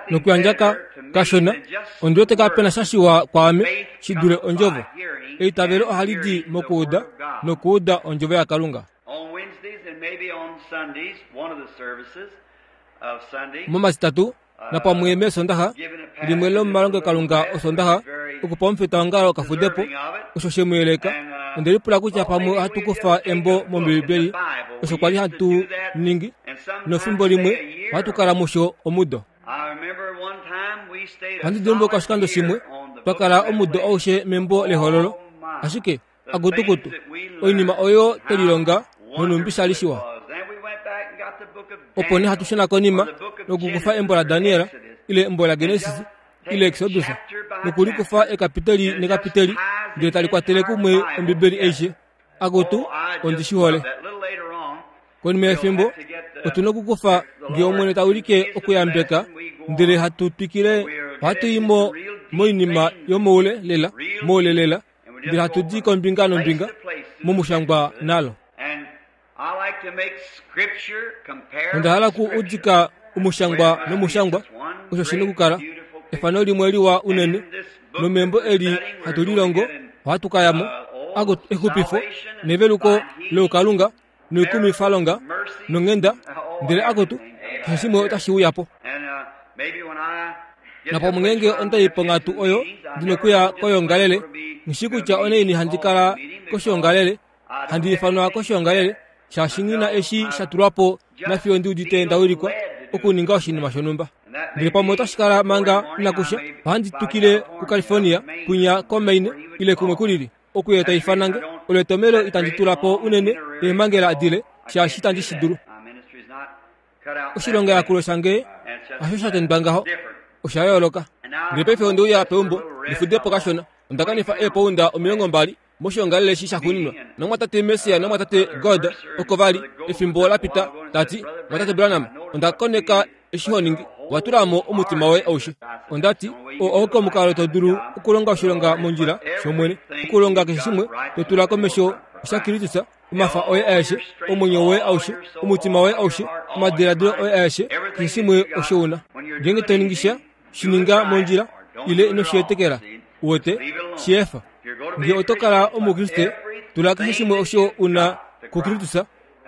Nokuyandja ka, kashona, ondi wete kape na sha shiwa kwaame shi dule Ondjovo. Eitavelo ohali di mokuuda, nokuuda Ondjovo yaKalunga. Momatitatu, napamwe mEesondaxa, limwe lomomalongelokalunga Osondaxa, okupa omufitaongalo okafudepo, osho she mu yeleka. Onde lipula kutya pamwe ohatu kufa embo mOmbibeli, osho kwa li hatu ningi, nofimbo limwe ohatu kala musho omudo. Ohandi dimbuluka oshikando shimwe twa kala omudo aushe membo lEhololo, ashike akutukutu oinima oyo twe lilonga nonhumbi sha li shiwa. Opo nee hatu shuna konima nokukufa embo laDaniel ile embo laGenesis ile Exodus nokulikufa ekapiteli nekapiteli ndele tali kwatele kumwe Ombibeli aishe. Akutu, ondi shi hole. Konima yefimbo otu na okukufa ngee Omwene ta ulike okuyambeka ndele hatu twikile ohatu i mo moinima yomoule lela moule lela ndele hatu di kombinga nombinga momushangwa nalo. Onda hala ku udika omushangwa nomushangwa, osho shi nokukala efano limwe liwa unene. Nomembo eli hatu lilongo, ohatu ka ya mo, exupifo neveluko loukalunga noikumwifalonga nonghenda, ndele akutu, keshe shimwe otashi uya po. Napamwe ngeenge onda i ponghatu oyo ndi nokuya koyoongalele, nghi shii kutya onaini handi kala koshoongalele, handi ifanwa koshoongalele, shaashi nghi na eshi sha tulwa po nafiyo ndi udite nda wilikwa okuninga oshinima shonhumba. Ndele pamwe otashi kala manga inaku sha, ohandi tukile kuCalifornia, kwinya koMaine, ile kumwe kulili. Okuye ta ifana nge. Olo etomhelo itandi tula po unene eemhangela adile, shaashi itandi shi dulu. Oshilongayakulo shange hasho sha tendwa ngaho, osha yooloka. Ndele paife onde uya peumbo ndi fude po kashona. Onda kanifa eepounda 20 moshiongalele eshi shaxuuninwa. Nomumwatate Mercier nomumwatate Goad oko va li, efimbo la pita, ta ti, Mumwatate Branham, onda koneka eshi ho ningi, owa tula mo omutima woye aushe. Onda ti, Oo auke omukalo to dulu okulonga oshilonga mondjila shOmwene, okulonga keshe shimwe to tula komesho shaKristus, omafa oye aeshe, omwenyo woye aushe, omutima woye aushe, omadiladilo oye aeshe, keshe shimwe osho u na. Ngeenge to ningi sha, shi ninga mondjila, ile ino shi etekela. Uwete, shi efa. Nge oto kala Omukriste, tula keshe shimwe osho u na kuKristus,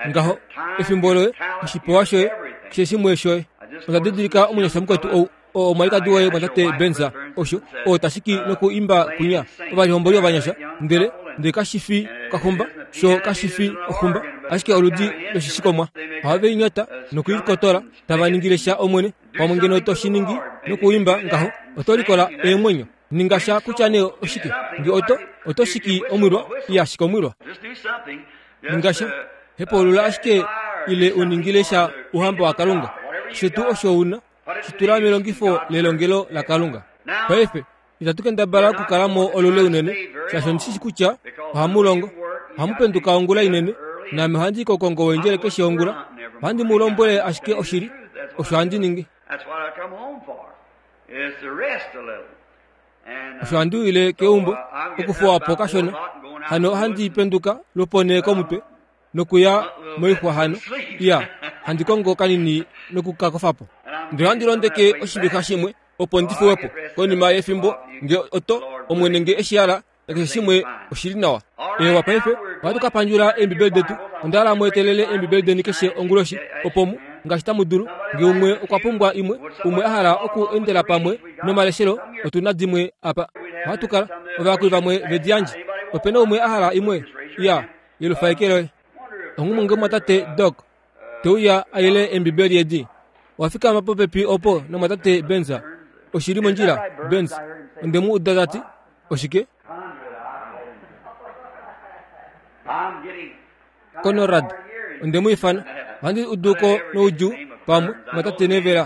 ngaho, efimbo loye, oshipewa shoye, keshe shimwe shoye. Onda didilika omunyasha mukwetu ou, oo omwalikadi woye mwatate Benza, osho, oo ta shiki noku imba kwinya, ovalihomboli ovanyasha, ndele, ndele kashi fi okaxumba, sho kashi fi oxumba, ashike oludi loshishikomwa. Ohave i nyata noku i kotola, tava ningile sha Omwene. Pamwe ngeno to shi ningi noku imba ngaho, oto likola eemwenyo. Ninga sha kutya nee oshike. Nge oto, oto shiki omwilwa, iya shika omwilwa. Ninga sha. Hepaulula ashike ile u ningile sha Ouhamba waKalunga. Keshe tuu osho u na, shi tula melongifo lelongelo laKalunga. Paife, itatu kendabala okukala mo olule unene, shaashi ondi shi shi kutya ohamu longo. Ohamu penduka ongula inene, naame ohandi i kokongo weendjele keshe ongula. Ohandi mu lombwele ashike oshili, osho handi ningi. Osho handi uyile keumbo okufuwa po kashona. Hano ohandi penduka lwoponhee komutwe nokuya moixwa hano. Iya, handi kongo kanini noku ka kofa po. Ndele ohandi londeke oshivixa shimwe opo ndi fuwe po. Konima yefimbo nge oto, Omwene nge e shi hala, nakeshe shimwe oshi li nawa. Eewa, paife ohatu ka pandjula Eembibeli detu. Onda hala mu etelele Eembibeli deni keshe onguloshi, opo mu, ngaashi tamu dulu. Nge umwe okwa pumbwa imwe, umwe a hala oku endela pamwe nomaleshelo, otu na dimwe apa. Ohatu kala, ovayakuli vamwe ve di yandje. Ope na umwe a hala imwe? Iya, yelufa eke loye. Onghumwe nge mumwatate Doc te uya a yele Eembibeli edi. Owa fikama popepi opo nomwatate Burns. Oshi li mondjila, Burns? Onde mu uda ta ti, Oshike? Conrad, onde mu ifana. Ohandi udu ko noudjuu pamwe, mwatate Neville.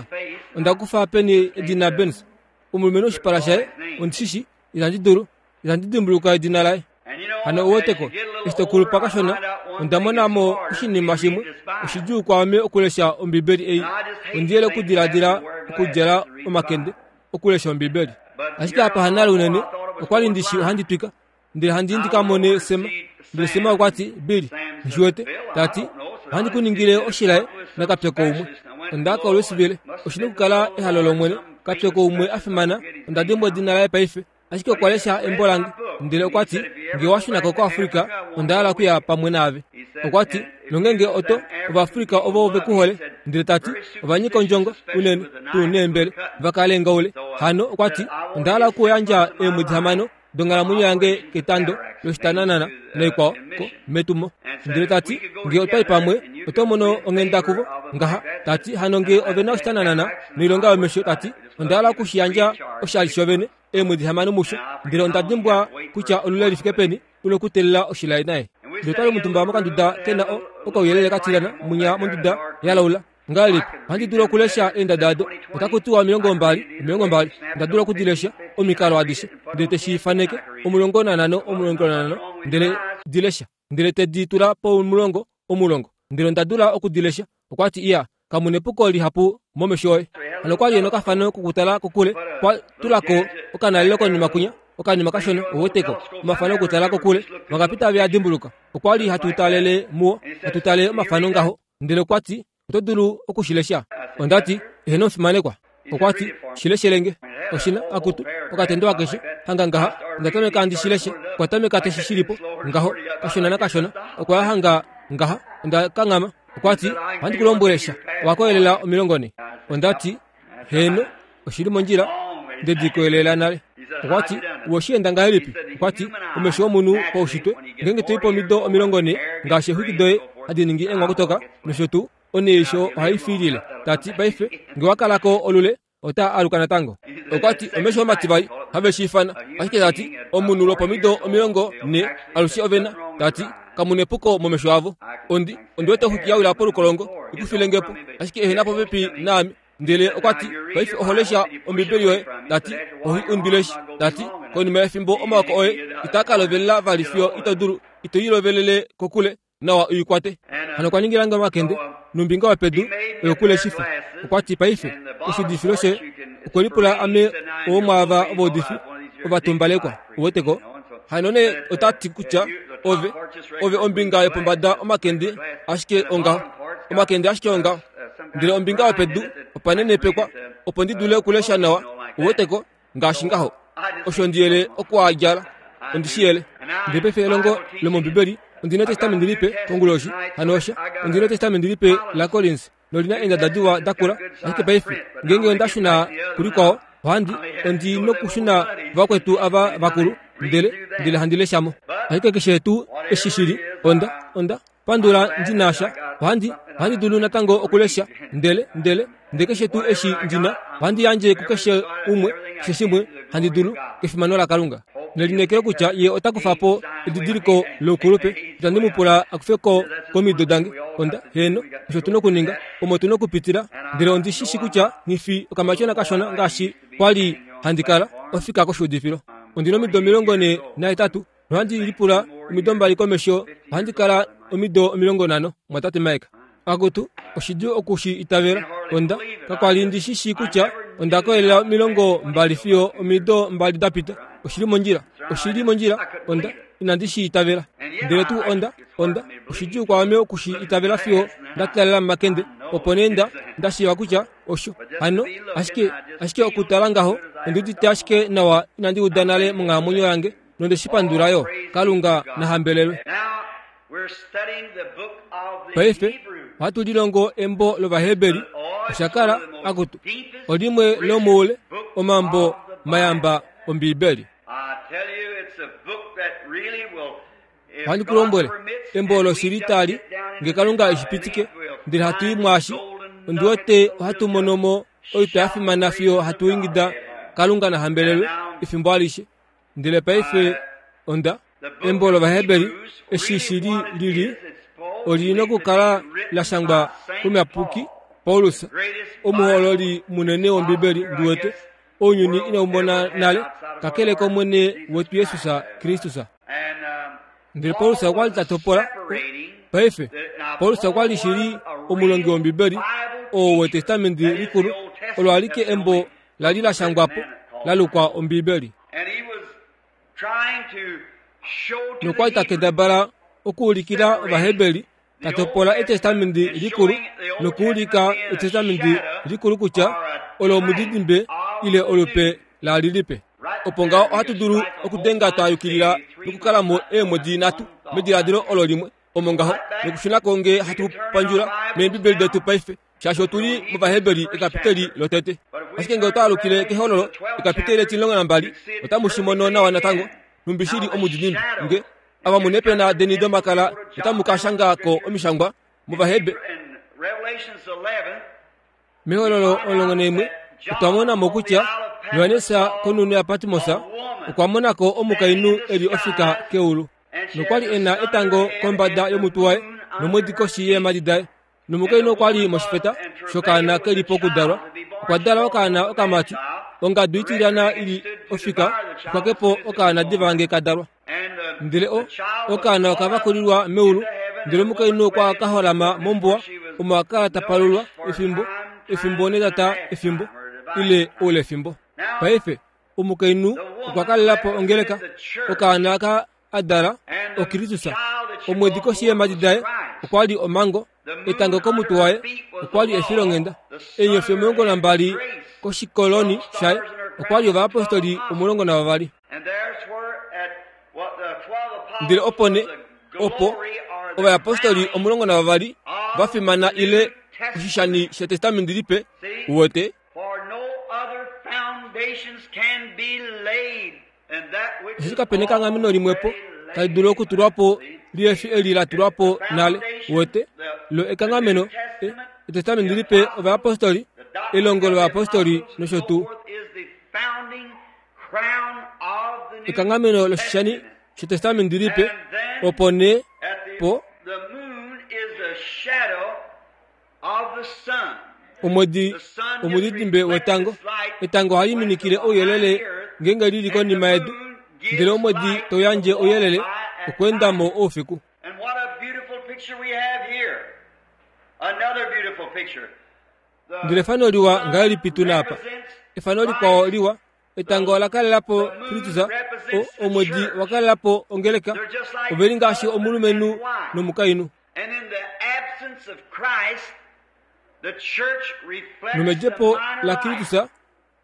Onda kufa peni edina Burns? Omulumenhu oshipala shaye, ondi shi shi, itandi dulu. Itandi dimbuluka edina laye. Hano ou weteko, eshi to kulupa kashona, onda mona mo oshinima shimwe. Oshidjuu kwaame okulesha Ombibeli ei. Ondi yele okudiladila okudjala omakende okulesha Ombibeli. Ashike apa hanale unene, okwa li ndi shi ohandi twika, ndele handi ndi ka mone Sema. Ndele Sema okwa ti, Billy, nghi shi wete, ta ti. Ohandi ku ningile oshilaye nakapyoko umwe. Onda ya koLouisville. Oshi na okukala ehalo lOmwene. Kapyoko umwe a fimana, onda dimbwa edina laye paife. Ashike okwa lesha embo lange, ndele okwa ti, Nge owa shuna ko koAfrica, onda hala okuya pamwe naave. Okwa ti, Nongeenge oto, Ovaafrica ovo ve ku hole, ndele ta ti, ova nyika ondjongo, unene, tuu neembele, va kale ngaule. Hano, okwa ti, onda hala okuyandja eemwedi hamano donghalamwenyo yange ketando loshitananana naikwao ko metumo. Ndele ta ti, Nge otwa i pamwe, oto mono onghenda kuvo, ngaha. Ta ti, Hano nge ove na oshitananana noilonga yomesho, ta ti, onda hala oku shi yandja oshali shovene, eemwedi hamano musho. Ndele onda dimbwa kutya olule li fike peni u nokuteelela oshilaye naye. Ndele otwa li omutumba mokanduda ke na o, okauyelele ka tilyana mwinya monduda ya laula. Ngahelipi ohandi dulu okulesha eendada ado? Otaku tiwa 20, 20. Onda dula oku di lesha, omikalo adishe. Ndele te shi faneke, 15, 15, ndele di lesha. Ndele te di tula pomulongo, omulongo. Ndele onda dula oku di lesha. Okwa ti, Iya, kamu nepuko lihapu momesho oye. Hano okwa li e nokafano kokutala kokule, kwa tula ko okanalelo konima kwinya, okanima kashona, uweteko, omafano okutala kokule. Vangapita ve a dimbuluka? Okwa li hatu talele muo, hatu tale omafano ngaho. Ndele okwa ti, Oto dulu oku shi lesha? Onda ti, Eheno omufimanekwa. Okwa ti, Shi leshele nge. Oshi na, akutu, okatendo akeshe, hanga ngaha. Onda tameka handi shi leshe. Okwa tameka te shi shili po, ngaho, kashona nakashona. Okwa ya hanga ngaha. Onda kanghama. Okwa ti, Ohandi ku lombwele sha. Owa koyelela 40. Onda ti, Heeno, oshi li mondjila. Nde di koyelela nale. Okwa ti, Owe shi enda ngahelipi? Okwa ti, Omesho omunhu paushitwe, ngeenge to i pomido 40, ngaashi eexwiki doye hadi ningi eenghwakutoka nosho tuu, oneisho ohai fiilile. Ta ti, Paife, nge wa kala ko olule, ota aluka natango. Okwa ti, Omesho omativali, have shi ifana. Ashike ta ti, Omunhu lwopomido 40, alushe ove na, ta ti, kamu nepuko momesho avo. Ondi, ondi wete oxwiki ya wila polukolongo, i kufile nge po, ashike ehena popepi naame. Ndele okwa ti, Paife oho lesha Ombibeli yoye. Ta ti, Oho i umbileshi. Ta ti, Konima yefimbo omaoko oye itaa ka lovelela vali fiyo ito dulu, ito i lovelele kokule nawa u i kwate. Hano okwa ningila nge omakende, nombinga yopedu oyokuleshifa. Okwa ti, Paife, oshiudifilo shoye, okwe lipula ame owomwaava ovaudifi ovatumbalekwa. Uwete ko? Hano nee ota ti kutya ove, ove ombinga yopombada omakende ashike ongaho. Omakende ashike ongaho. Ndele ombinga yopedu opa nenepekwa opo ndi dule okulesha nawa. Uwete ko? Ngaashi ngaho. Osho ndi yele oku a djala. Ondi shi yele. Ndele paife elongo lomOmbibeli, ondi na Etestamenti Lipe konguloshi. Hano osha, ondi na Etestamenti Lipe laKorins, noli na eendada diwa dakula. Ashike paife, ngeenge onda shuna kulikwao, ohandi, ondi nokushuna vakwetu ava vakulu, ndele, ndele handi lesha mo. Ashike keshe tuu eshi shi li, onda, onda pandula ndi na sha. Ohandi, ohandi dulu natango okulesha, ndele, ndele, ndele keshe tuu eshi ndi na, ohandi yandje kukeshe umwe, keshe shimwe handi dulu, kefimano laKalunga. Nelineekelo kutya Ye ota kufa po edidiliko loukulupe, itandi mu pula a kufe ko komido dange. Onda, heeno, osho tu nokuninga, omo tu nokupitila. Ndele ondi shi shi kutya nghi fi okamatyona kashona ngaashi kwa li handi kala, ofika koshuudifilo. Ondi nomido 48, nohandi lipula omido mbali komesho ohandi kala omido 50, Mumwatate Mike. Akutu, oshidjuu oku shi itavela. Onda, kakwa li ndi shi shii kutya onda koyelela 20 fiyo omido mbali da pita. Oshi li mondjila. Oshi li mondjila. Onda, inandi shi itavela. Ndele tuu onda, onda, oshidjuu kwaame oku shi itavela fiyo nda talela momakende, opo nee nda, nda shiiva kutya osho. Hano, ashike, ashike okutala ngaho, ondi udite ashike nawa inandi uda nale monghalamwenyo yange, nonde shi pandula yo. Kalunga na hambelelwe. Paife ohatu lilongo embo lOvaheberi. Osha kala, akutu, olimwe lomoule omambo mayamba Ombiibeli. Ohandi ku lombwele, embo olo shili tali, nge Kalunga eshi pitike, ndele hatu i mwaashi, ondi wete ohatu mono mo oitwa ya fimana fiyo hatu ingida Kalunga na hambelelwe efimbo alishe. Ndele paife onda embo lOvaheberi eshi shi li lili oli nokukala la shangwa komuyapuki Paulus, omuhololi munene wOmbibeli ndi wete ounyuni inau mona nale, kakele kOmwene wetu Jesus Kristus. Ndele Paulus okwa li ta topola paife. Paulus okwa li shili omulongi wOmbibeli oo wEtestamenti Likulu, olo alike embo la li la shangwa po la lukwa Ombibeli. Nokwa li ta kendabala okuulikila Ovaheberi. Ta topola Etestamenti Likulu nokuulika Etestamenti Likulu kutya olo omudidimbe ile olupe la lilipe. Opo ngaho ohatu dulu okudenga twa yukilila nokukala mo eemwedi nhatu mediladilo olo limwe, omo ngaho, nokushuna ko nge hatu pandjula mEembibeli detu paife, shaashi otu li mOvaheberi ekapiteli lotete. Ashike nge otwa alukile kehololo ekapiteli letimulongo nambali, otamu shi mono nawa natango, nhumbi shi li omudidimbe. Nge ava mu neepena deni domakala otamu ka shanga ko omishangwa mOvahebe. Mehololo 11 otwa mona mo kutya Johannes konhunhu yaPatmos okwa mona ko omukainhu e li ofika keulu nokwa li e na etango kombada yomutwe waye nomwedi koshi yeemhadi daye. Nomukainhu okwa li moshifeta shokaana ke li pokudalwa. Okwa dala okaana okamati. Ongadu itilyana i li ofika okwa ke po okaana diva nge ka dalwa. Ndele o, okaana oka vakulilwa meulu, ndele omukainhu okwa ka holama mombuwa, omo a kala ta palulwa efimbo, efimbo netata efimbo, ile oulefimbo. Paife, omukainhu okwa kalela po ongeleka, okaana aka a dala oKristus. Omwedi koshi yeemhadi daye okwa li omhango, etango komutwe waye okwa li efilonghenda, eenyofi 12 koshikoloni shaye okwa li ovayapostoli 12. Ndele opo nee, opo ovayapostoli 12 va fimana ile oshishani shetestamenti lipe, uwete, Osheshi kape nekanghameno limwepo tali dulu okutulwa po lihe fi eli la tulwa po nale. Uwete? Lo ekanghameno, e, Etestamenti Lipe, ovayapostoli, elongo lovayapostoli nosho tuu. Ekanghameno loshishani shEtestamenti Lipe, opo nee po. Omwedi omudidimbe wetango. Etango ohali minikile ouyelele ngeenge li li konima yedu, ndele omwedi tau yandje ouyelele okweenda mo oufiku. Ndele efano liwa ngahelipi tu na apa! Efano likwao liwa Etango ola kalela po Kristus, omwedi wa kalela po ongeleka. Ove li ngaashi omulumenhu nomukainhu. Nomedjepo laKristus,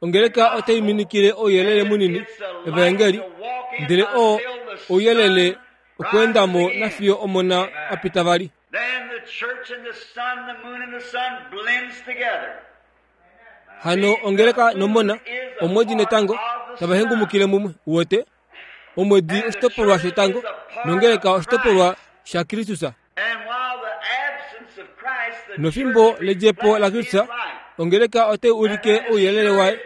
ongeleka otai minikile ouyelele munini, evaengeli, ndele oo ouyelele okweenda mo nafiyo Omona a pita vali. Hano ongeleka nomona, omwedi netango, tava hengumukile mumwe. Uwete? Omwedi oshitopolwa shetango, nongeleka oshitopolwa shaKristus. Nofimbo ledjepo laKristus, ongeleka otai ulike ouyelele waye.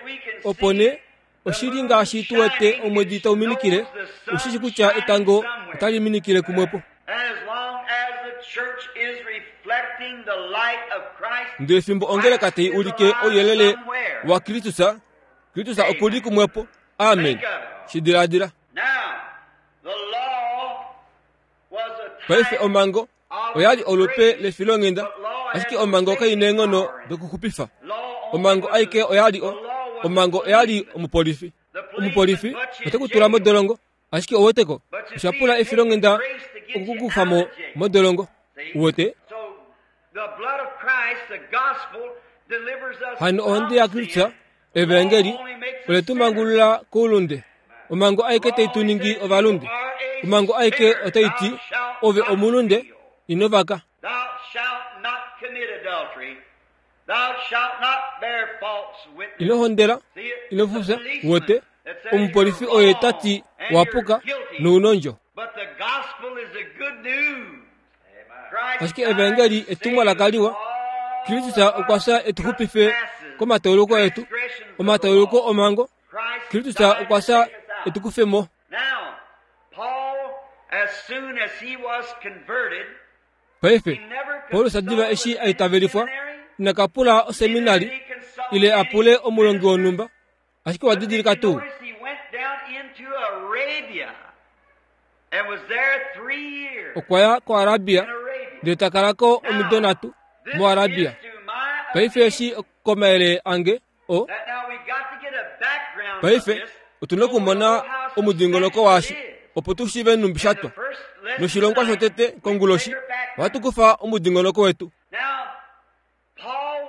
Opo nee, oshi li ngaashi tu wete omwedi tau minikile, u shi shi kutya etango otali minikile kumwepo. Ndele fimbo ongeleka tai ulike ouyelele waKristus, Kristus oku li kumwepo. Amen. Shi diladila. Paife omhango oya li olupe lefilonghenda, ashike omhango kai neenghono dokuxupifa. Omhango aike oya li o, omhango oya li omupolifi. Omupolifi ote ku tula modolongo, ashike ouweteko, osha pula efilonghenda okukukufa mo modolongo. Uwete? Hano ohonde yaKristus, Evaengeli, ole tu mangulula koulunde. Omhango aike tai tu ningi ovalunde. Omhango aike otai ti, Ove omulunde, ino vaka. Ino hondela, ino fufya, wote, omupolifi oye ta ti wa puka nounondjo. Ashike evaengeli etumwalaka liwa. Kristus okwa fya e tu xupife komatauluko etu, omatauluko omhango. Kristus okwa fya e tu kufe mo. Paife, Paulus diva eshi a itavelifwa, ina ka pula oseminari ile a pule omulongi wonhumba, ashike wa didilika tuu? Okwa ya koArabia ndele ta kala ko omido nhatu moArabia. Paife eshi komayele ange o Paife otu na okumona omudingonoko waashi opo tu shiive nhumbi sha twa. Noshilongwa shotete konguloshi Ohatu kufa omudingonoko wetu.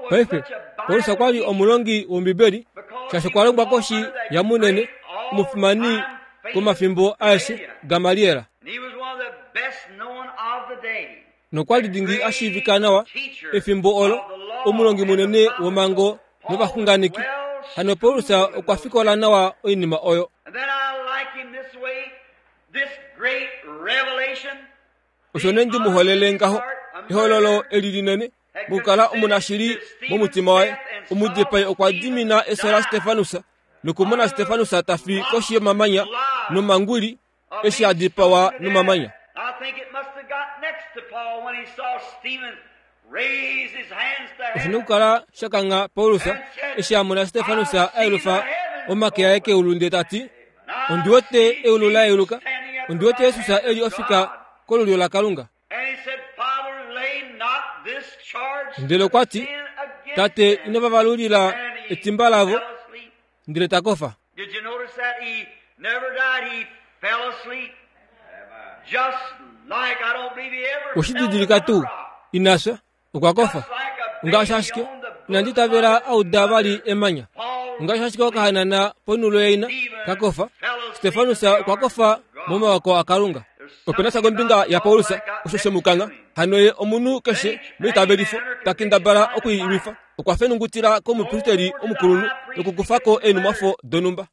Paife, Paulus okwa li omulongi wOmbibeli, shaashi okwa longwa koshi yamunene omufimani komafimbo aeshe, Gamaliel. Nokwa li dingi a shiivika nawa efimbo olo, omulongi munene womhango novaxunganeki. Hano Paulus okwa fikola nawa oinima oyo. Osho nee ndi mu holele ngaho, ehololo eli linene, mokukala omunashili momutima waye. Omudipai okwa dimina efyo laStefanus nokumona Stefanus ta fi koshi yomamanya nomanguli eshi a dipawa nomamanya. Oshi na okukala sha kangha Paulus eshi a mona Stefanus a yelufa omake aye keulu ndele ta ti, Ondi wete eulu la yeluka, ondi wete Jesus e li ofika kolulyo laKalunga. Ndele okwa ti, Tate, ino va valulila etimba lavo, ndele ta kofa. Oshi didilika tuu? Ina fya, okwa kofa. Ngaashi ashike inandi itavela a uda vali emanya. Ngaashi ashike okahanana ponhulo yaina ka kofa, Stefanus okwa kofa momawako aKalunga. Ope na sha kombinga yaPaulus osho she mu kangha. Hano ye omunhu keshe meitavelifo ta kendabala oku i lwifa. Okwa fenungutila komupristeli omukulunhu nokukufa ko eenhumwafo donhumba.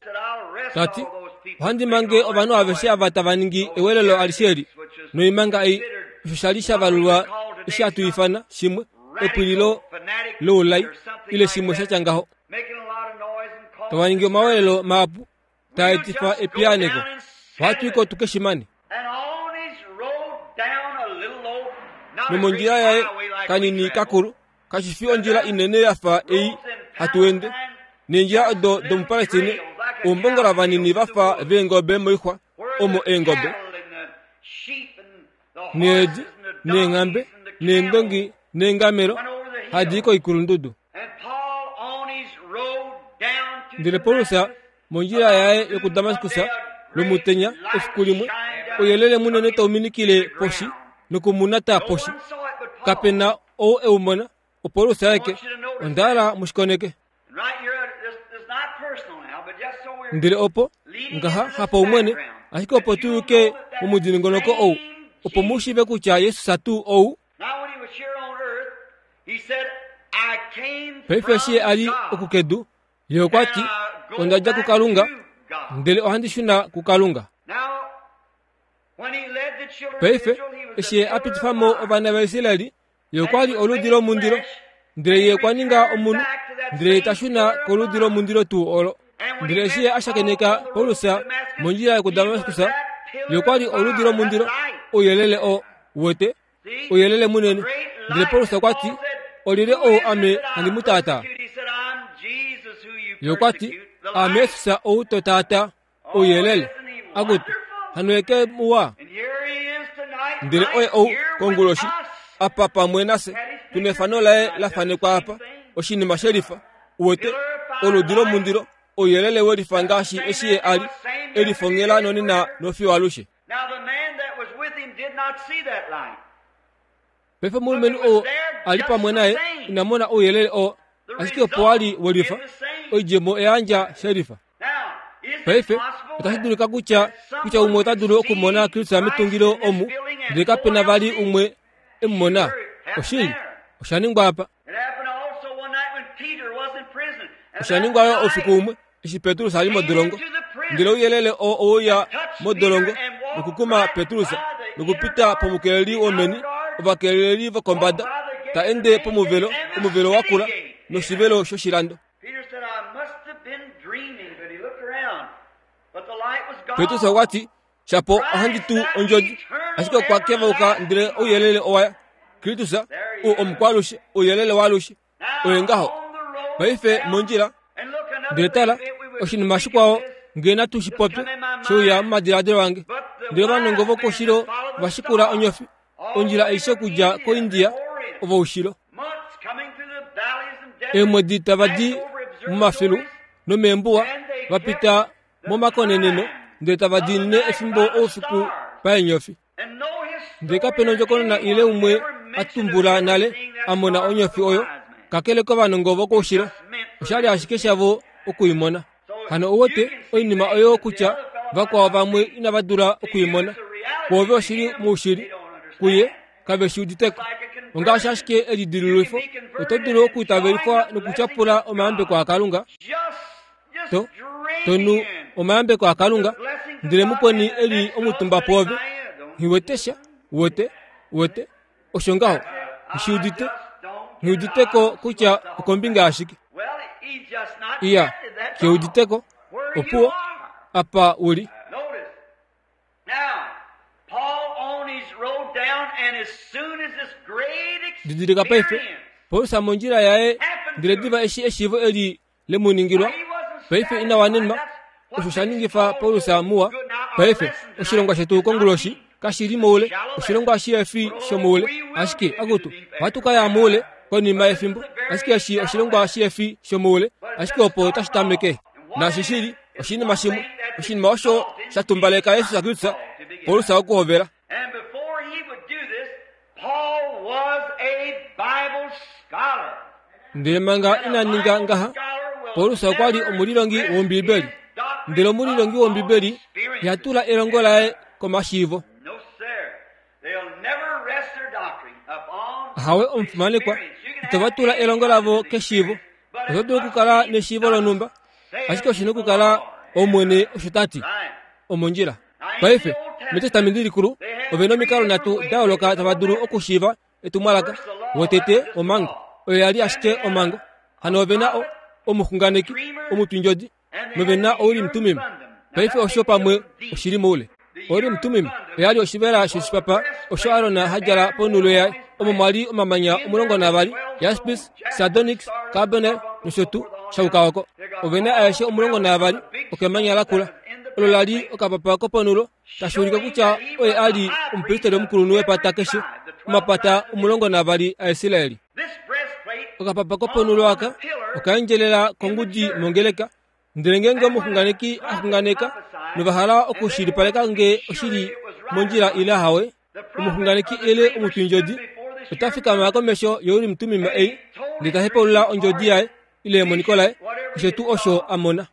Ta ti, Ohandi mange ovanhu aveshe ava tava ningi ewelelo alishe eli noimanga ei, osho sha li sha valulwa eshi hatu ifana shimwe epwililo loulai ile shimwe sha tya ngaho. Tava ningi omawelelo mahapu taa etifa epiyaaneko. Ohatu i ko tu ke shi mane. Nomondjila yaye kanini kakulu, kashi fi ondjila inene ya fa ei hatu ende, neendjila odo domuPalestine, oumbongola vanini va fa veengobe moixwa, omo eengobe, needi, neenghambe, neendongi neengamelo hadi i koikulundudu. Ndele Paulus mondjila yaye yokuDamaskus lomutenya efiku limwe, ouyelele munene tau minikile poshi nokumunata poshi. Kape na ou e u mona, oPaulus aeke. Onda hala mu shi koneke. Ndele opo, ngaha, hapaumwene, ashike opo tu yuke momudingonoko ou, opo mu shiive kutya Jesus tuu ou, Paife eshi ye a li oku kedu, ye okwa ti, Onda dja kuKalunga, ndele ohandi shuna kuKalunga. Paife, eshi ye a pitifa mo ovana vaIsraeli, ye okwa li oludi lomundilo, ndele ye okwa ninga omunhu, ndele ye ta shuna koludi lomundilo tuu olo. Ndele eshi ye a shakeneka Paulus mondjila yokuDamaskus, ye okwa li oludi lomundilo, ouyelele oo, uwete, ouyelele munene. Ndele Paulus okwa ti, Olyelye ou ame handi mu taataa? Ye okwa ti, Aame Jesus ou to taataa, ouyelele. Akutu, hano ye ke muwa? Ndele oye ou konguloshi, apa pamwe nafye, tu nefano laye la fanekwa apa, oshinima shelifa, uwete, oludi lomundilo, ouyelele welifa ngaashi eshi ye a li, e lifongela nonena nofiyo alushe. Paife omulumenhu oo a li pamwe naye ina mona ouyelele oo, ashike opo a li welifa, oidjemo oya yandja shelifa. Paife, otashi dulika kutya kutya umwe ota dulu okumona Kristus metungilo omu, ndele kape na vali umwe e mu mona. Oshili, osha ningwa apa. Osha ningwa yo oufiku umwe eshi Petrus a li modolongo. Ndele ouyelele oo oweuya modolongo nokukuma Petrus nokupita pomukeleli womeni, ovakeleli vokombada, ta ende pomuvelo, omuvelo wa kula noshivelo shoshilando. Petrus okwa ti, Shapo ohandi tu ondjodi, ashike okwa kevauka ndele ouyelele owa ya. Kristus, ou omukwalushe, ouyelele waalushe. Oye ngaho. Paife mondjila. Ndele tala, oshinima shikwao nge natu shi popye, she uya momadiladilo ange. Ndele ovanongo vokoushilo va shikula onyofi, ondjila aishe okudja koIndia, ovoushilo. Eemwedi tava di momafilu nomeembuwa, va pita momakoneneno, ndele tava diinine efimbo oufiku paenyofi. Ndele kape na ondjokonona ile umwe a tumbula nale a mona onyofi oyo, kakele kovanongo vokoushilo. Osha li ashike shavo oku i mona. Hano ou wete oinima oyo kutya vakwao vamwe inava dula oku i mona. Kwoove oshi li moushili, kuye kave shi udite ko. Ongaashi ashike elidilululifo, oto dulu okuitavelifwa nokutyapula omayambeko aKalunga, to, to nu omayambeko aKalunga, ndele mukweni e li omutumba pwoove, nghi wete sha, wete, wete, osho ngaho, nghi udite, nghi udite ko kutya okombinga yashike. Iya, ke udite ko, opuwo, apa u li. Didilika paife, Paulus mondjila yaye, ndele diva eshi eshiivo eli le mu ningilwa, paife ina wanenwa. Osho sha ningifa Paulus muwa. Paife, oshilongwa shetu konguloshi kashi li moule, oshilongwa shihefi shomoule. Ashike, akutu, ohatu ka ya moule konima yefimbo. Ashike eshi oshilongwa shihefi shomoule, ashike opo tashi tameke. Naashi shi li oshinima shimwe, oshinima osho sha tumbaleka Jesus Kristus, Paulus okuhovela. Ndele manga ina ninga ngaha, Paulus okwa li omulilongi wOmbibeli. Ndele omulilongi wOmbibeli iha tula elongo laye komashiivo. Ahawe omufimanekwa, itava tula elongo lavo keshiivo. Oto dulu okukala neshiivo lonhumba, ashike oshi na okukala Omwene osho ta ti. Omondjila. Paife, mEtestamenti Likulu, ove na omikalo nhatu da yooloka tava dulu okushiiva etumwalaka. Wotete, omhango. Oyo ya li ashike omhango. Hano ove na o, omuxunganeki, omutwindjodi, nove na Ourim Tumim. Paife osho pamwe oshi li moule. Ourim Tumim oya li oshivela shoshipapa osho Aron ha djala ponhulo yaye, omo mwa li omamanya 12, jaspis, sardonyx, carbonel nosho tuu, sha yuka oko. Ove na aeshe 12 okemanya lakula. Olo la li okapapa koponhulo, tashi ulike kutya oye a li omupristeri omukulunhu wepata keshe, omapata 12 aIsrael. Okapapa koponhulo aka oka endjelela kongudi mongeleka. Ndele ngeenge omuxunganeki a xunganeka nova hala okushilipaleka nge oshi li mondjila ile ahawe, omuxunganeki ile omutwindjodi ota fikama komesho yoUrim Tumim ei ndele ta hepaulula ondjodi yaye ile emoniko laye, keshe tuu osho a mona.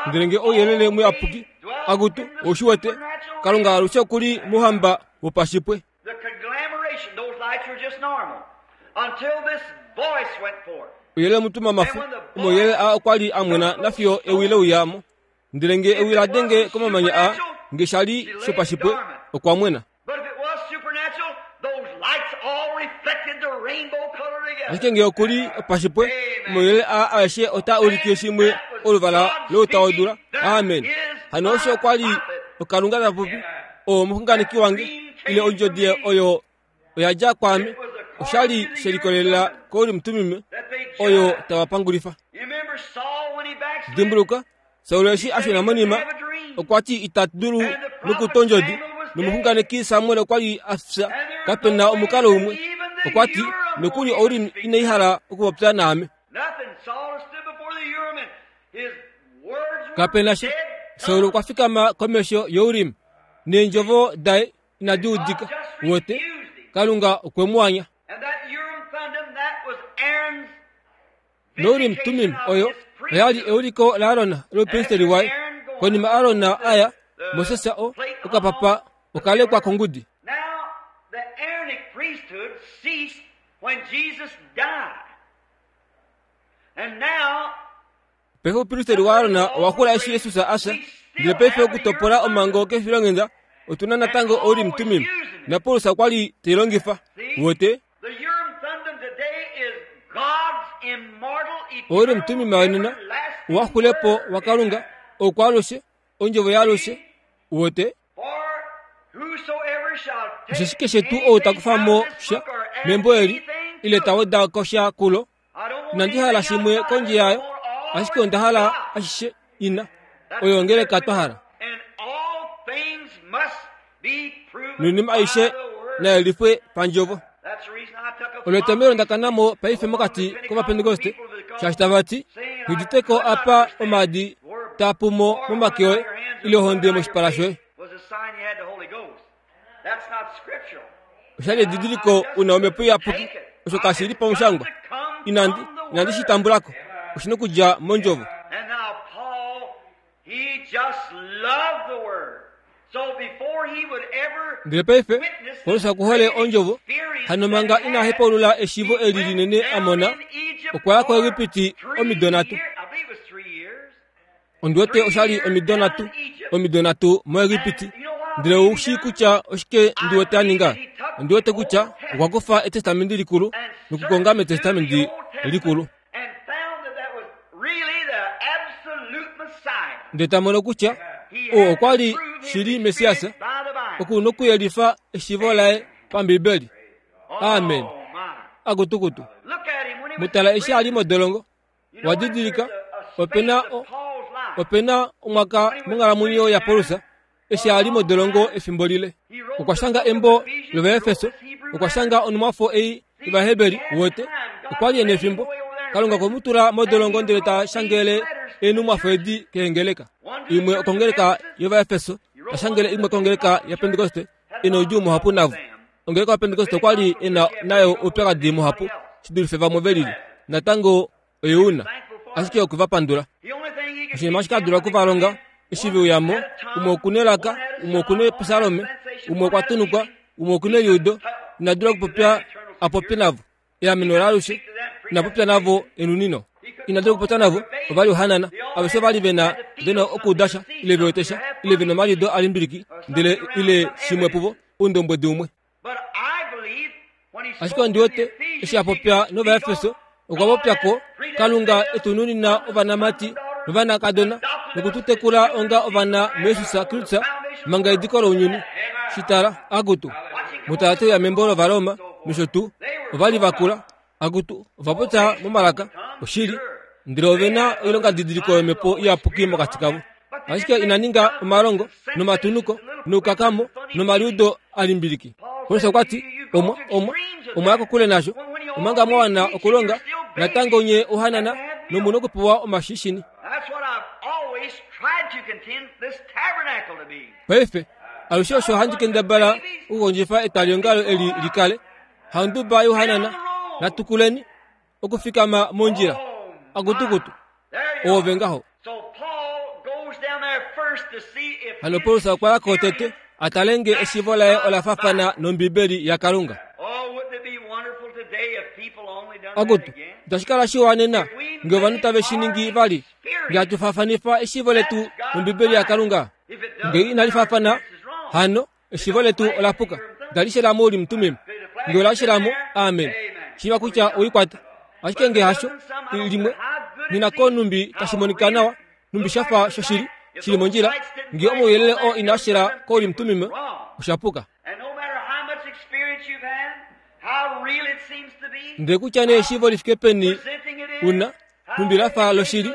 Ndele nge ouyelele muyapuki, akutu, ou shi wete, Kalunga alushe oku li mouhamba wopashipwe. Ouyelele mutumamafu, omauyelele aa okwa li a mwena nafiyo ewi le uya mo. Ndele nge ewi la denge komamanya aa, nge sha li shopashipwe, okwa mwena. Ashike nge oku li opashipwe, omauyelele aa aeshe otaa ulike shimwe oluvala louta wodula. Amen. Hano osho okwa li oKalunga ta popi, oo omuxunganeki wange, ile ondjodi oyo oya dja kwaame. Osha li she likolelela koUrim Tumim oyo tava pangulifa. Dimbuluka, Saul eshi a shuna monima, okwa ti ita dulu nokutwa ondjodi, nomuxunganeki Samuel okwa li a fya. Kape na omukalo umwe. Okwa ti, nokuli Ourim inai hala okupopya naame. Kape na sha. Saul okwa fikama komesho yoUrim, neendjovo daye inadi udika. Wote, Kalunga okwe mu anya. NoUrim Tumim oyo oya li euliko laAron loupristeri waye. Konima Aron a ya, Moses o okapapa oka lekwa kongudi. Paife oupristeri waAron owa xula eshi Jesus a fya. Ndele paife okutopola omhango kefilonghenda, otu na natango Ourim Tumim, naPaulus okwa li te i longifa. Wote? Ourim Tumim wenena owa xule po waKalunga, oukwaalushe, ondjovo yaalushe. Wote? Osheshi keshe tuu ou ta kufa mo sha membo eli, ile ta weda ko sha kulo, Inandi hala shimwe kondje yayo, ashike onda hala ashishe ina. Oyo ongeleka twa hala. Noinima aishe nayelifwe pandjovo. Olo etomhelo nda kana mo paife mokati kOvapentekoste, shaashi tava ti, Nghi udite ko apa omaadi taa pumo momake oye ile ohonde moshipala shoye. Oshali edidiliko u na omhepo iyapuki. Osho kashi li pamushangwa. Inandi, inandi shi tambula ko. Oshi na okudja mOndjovo. Ndele paife, Paulus oku hole Ondjovo, hano manga ina hepaulula eshiivo eli linene a mona, okwa ya koEgipiti omido nhatu. Ondi wete osha li omido nhatu, omido nhatu moEgipiti. Ndele ou shii kutya oshike ndi wete a ninga? Ondi wete kutya okwa kufa Etestamenti Likulu nokukonga mEtestamenti Likulu. Ndele ta mono kutya oo okwa li shili Messias, oku nokuyelifa eshiivo laye paMbibeli. Amen. Akutukutu. Mu tala eshi a li modolongo. Wa didilika, ope na o, ope na omwaka monghalamwenyo yaPaulus eshi a li modolongo efimbo lile. Okwa shanga embo lOvaefeso, okwa shanga onhumwafo ei yOvaheberi, wete. Okwa li e nefimbo. Kalunga okwe mu tula modolongo ndele ta shangele eenhumwafo edi keengeleka. Imwe okongeleka yOvaefeso, ta shangele imwe kongeleka yaPentekoste, e noudjuu muhapu navo. Ongeleka yaPentekoste okwa li e na nayo oupyakadi muhapu shi dulife vamwe ve lili. Natango oye u na ashike oku va pandula. Oshinima ashike a dula oku va longa eshi ve uya mo, umwe oku nelaka, umwe oku nepsalome, umwe okwa tunukwa, umwe oku neliudo, ina dula okupopya a popye navo. Eameno laalushe, ina popya navo enunino. Ina dula okupopya navo, ova li ohanana. Aveshe ova li ve na ve na okuuda sha, ile ve wete sha, ile ve na omaliudo a limbiliki, ndele ile shimwe puvo, oundombwedi umwe. Ashike ondi wete, eshi a popya nOvaefeso, okwa popya ko, Kalunga e tu nunina ovanamati novanakadona noku tu tekula onga ovana muJesus Kristus manga ediko lounyuni. Shi tala, akutu, mutala te uya membo lOvaroma nosho tuu, ova li va kula, akutu, ova popya momalaka, oshili, ndele ove na oilongadidiliko yOmhepo Iyapuki mokati kavo. Ashike ina ninga omalongo nomatunuko noukakamo nomaliudo a limbiliki. Paulus okwa ti, Omwa, omwa, omwa ya kokule nasho, omanga mwa wana okulonga, natango nye ohanana nomu nokupewa omashishini. Paife, alushe osho handi kendabala okukondjifa etwaliongalo eli li kale, handuba yohanana, natukuleni, okufikama mondjila akutukutu oove ngaho hano paulus okwa ya ko tete a tale nge eshiivo laye ola fafana nombibeli yakalunga akutu itashi kala shiwa nena nge ovanhu tave shi ningi vali nge hatu faafanifa eshiivo letu nombibeli yakalunga nge inali faafana hano Eshiivo letu ola puka. Itali shela mo Urim Tumim. Nge ola shela mo, amen. Shiiva kutya oikwata. Ashike nge hasho, limwe, nina ko numbi tashi monika nawa, numbi sha fa shoshili, shili mondjila, nge omauyelele oo inaa shela ko Urim Tumim, osha puka. Ndele kutya nee eshiivo li fike peni una, nhumbi la fa loshili,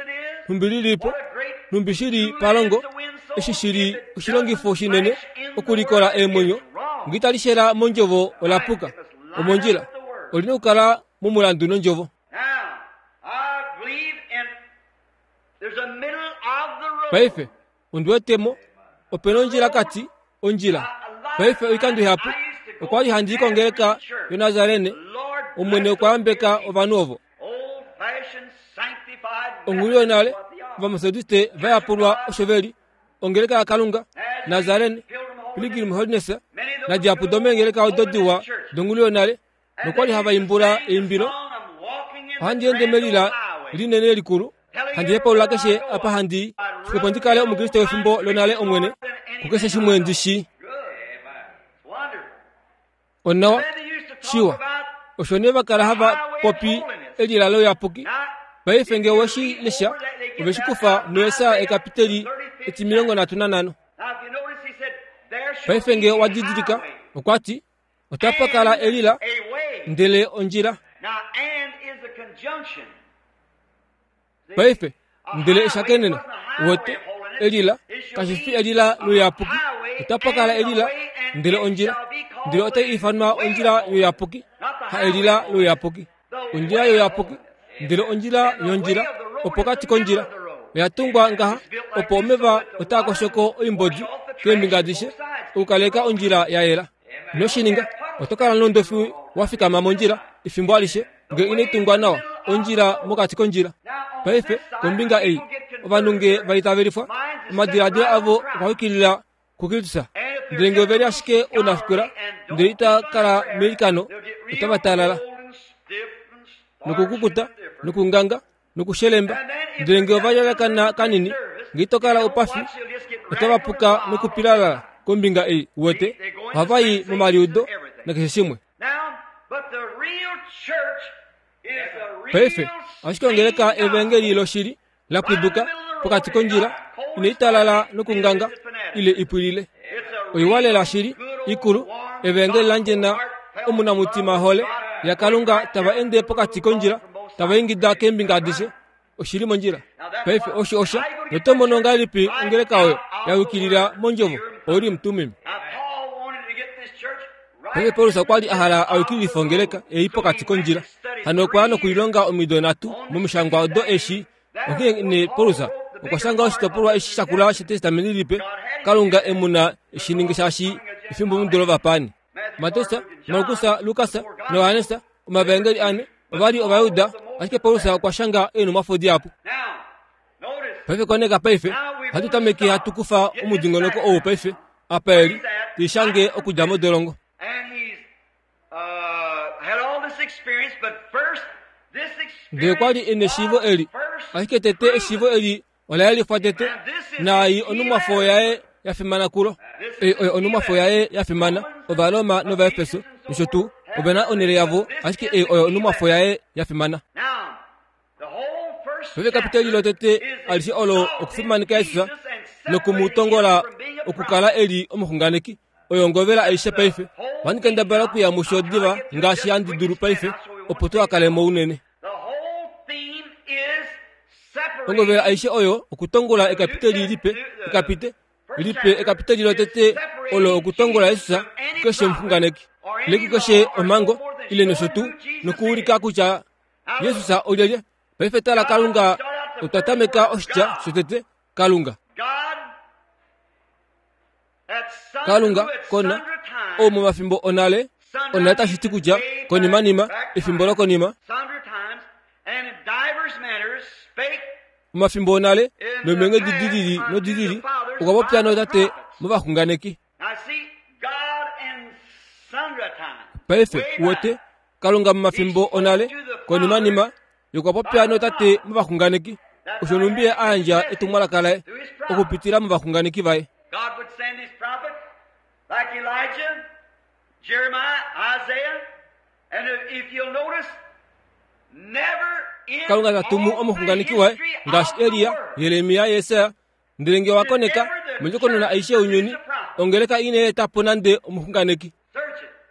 nhumbi li li po, nhumbi shi li palongo, eshi shi li oshilongifo shinene okulikola eemwenyo, nge itali shela mondjovo ola puka. Omondjila. Oli na okukala momulandu nondjovo. Paife, ondi wete mo, ope na ondjila kati, ondjila. Paife oikando ihapu, okwa li handi i kongeleka yoNazarene, Omwene okwa yambeka ovanhu ovo. Onghulu yonale, Ovametodiste va yapulwa osho ve li, Ongeleka yaKalunga, Nazarene, Pilgrim Holiness, nadihapu domeengeleka odo diwa donghulu yonale, nokwa li hava imbula eimbilo, Ohandi ende melila linene likulu, handi hepaulula keshe apa handi i, opo ndi kale Omukriste wefimbo lonale Omwene, kukeshe shimwe ndi shii. Onawa, shiwa. Osho nee va kala hava popi elila louyapuki. Paife nge owe shi lesha, ove shi kufa muJesaja ekapiteli etimilongo nhatu nanhano. Paife nge owa didilika, okwa ti, Otapa kala elila, ndele ondjila. Paife, ndele eshakeneno, wete, elila, kashi fi elila louyapuki. Otapa kala elila, ndele ondjila, ndele otai ifanwa ondjila youyapuki, ha elila louyapuki. Ondjila youyapuki, ndele ondjila yondjila, opokati kondjila. Oya tungwa ngaha opo omeva otaa koshoko oimbodi keembinga adishe okukaleka ondjila ya yela. Ino shi ninga, oto kala nondofi wa fikama mondjila efimbo alishe nge inai tungwa nawa ondjila mokati kondjila. Paife, kombinga ei, ovanhu nge va itavelifwa, omadiladilo avo okwa yukilila kuKristus. Ndele nge ove li ashike ounafikola ndele ita kala meilikano, otava talala nokukukuta nokunganga nokushelemba. Ndele nge ova lyalakana kanini, nge ito kala oupafi, otava puka nokupilalala kombinga ei, uwete, ohava i momaliudo nakeshe shimwe. Paife, ashike ongeleka evangeli loshili la pwiduka pokati kondjila inai talala nokunganga ile i pwilile. Oiwa lela shili, ikulu, evangeli la ndjena omunamutima hole yaKalunga tava ende pokati kondjila tava ingida keembinga adishe oshili mondjila. Paife osho osha noto mono ngahelipi ongeleka oyo ya yukilila mondjovo oUrim Tumim. Paife Paulus okwa li a hala a yukililife ongeleka ei pokati kondjila. Hano okwa ya nokulilonga omido nhatu momishangwa odo eshi onghee nee Paulus okwa shanga oshitopolwa eshi sha kula shEtestamenti Lipe, Kalunga e mu na e shi ninge shaashi efimbo mudo lovapaani. Mateus, Markus, Lukas naJohannes, omavaengeli ane, ova li Ovajuda, ashike Paulus okwa shanga eenhumwafo dihapu. Paife koneka paife, ohatu tameke hatu kufa omudingonoko ou paife, apa e li, te shange okudja modolongo. Ndele kwa li e neshiivo eli, ashike tete eshiivo eli ola yelifwa tete, naai onhumwafo yaye ya fimana kulo. Ei oyo onhumwafo yaye ya fimana, Ovaroma nOvaefeso nosho tuu, ove na onhele yavo, ashike ei oyo onhumwafo yaye ya fimana. Paife kapiteli lotete alishe olo okufimaneka Jesus noku mu tongola okukala e li omuxunganeki. Oyo ngovela aishe paife. Ohandi kendabala okuya musho diva ngaashi handi dulu paife opo tuha kale mo unene. Ongovela aishe oyo okutongola ekapiteli lipe, ekapite lipe ekapiteli lotete olo okutongola Jesus kukeshe omuxunganeki, ile kukeshe omhango ile nosho tuu, nokuulika kutya Jesus olyelye. Paife tala Kalunga, otwa tameka oshitya shotete Kalunga. Kalunga kona ou momafimbo onale, onale tashi ti kutya konimanima, efimbo lokonima, omafimbo onale nomeenghedi di lili nodi lili okwa popya nootate movaxunganeki. Paife, uwete, Kalunga momafimbo onale, konimanima, ye okwa popya nootate movaxunganeki, osho nhumbi ye a yandja etumwalaka laye okupitila movaxunganeki vaye. Kalunga ta tumu omuxunganeki waye ngaashi Elia, Jeremia, Jesaja, Ndele nge wa koneka, mondjokonona aishe younyuni, ongeleka ina eta po nande omuxunganeki.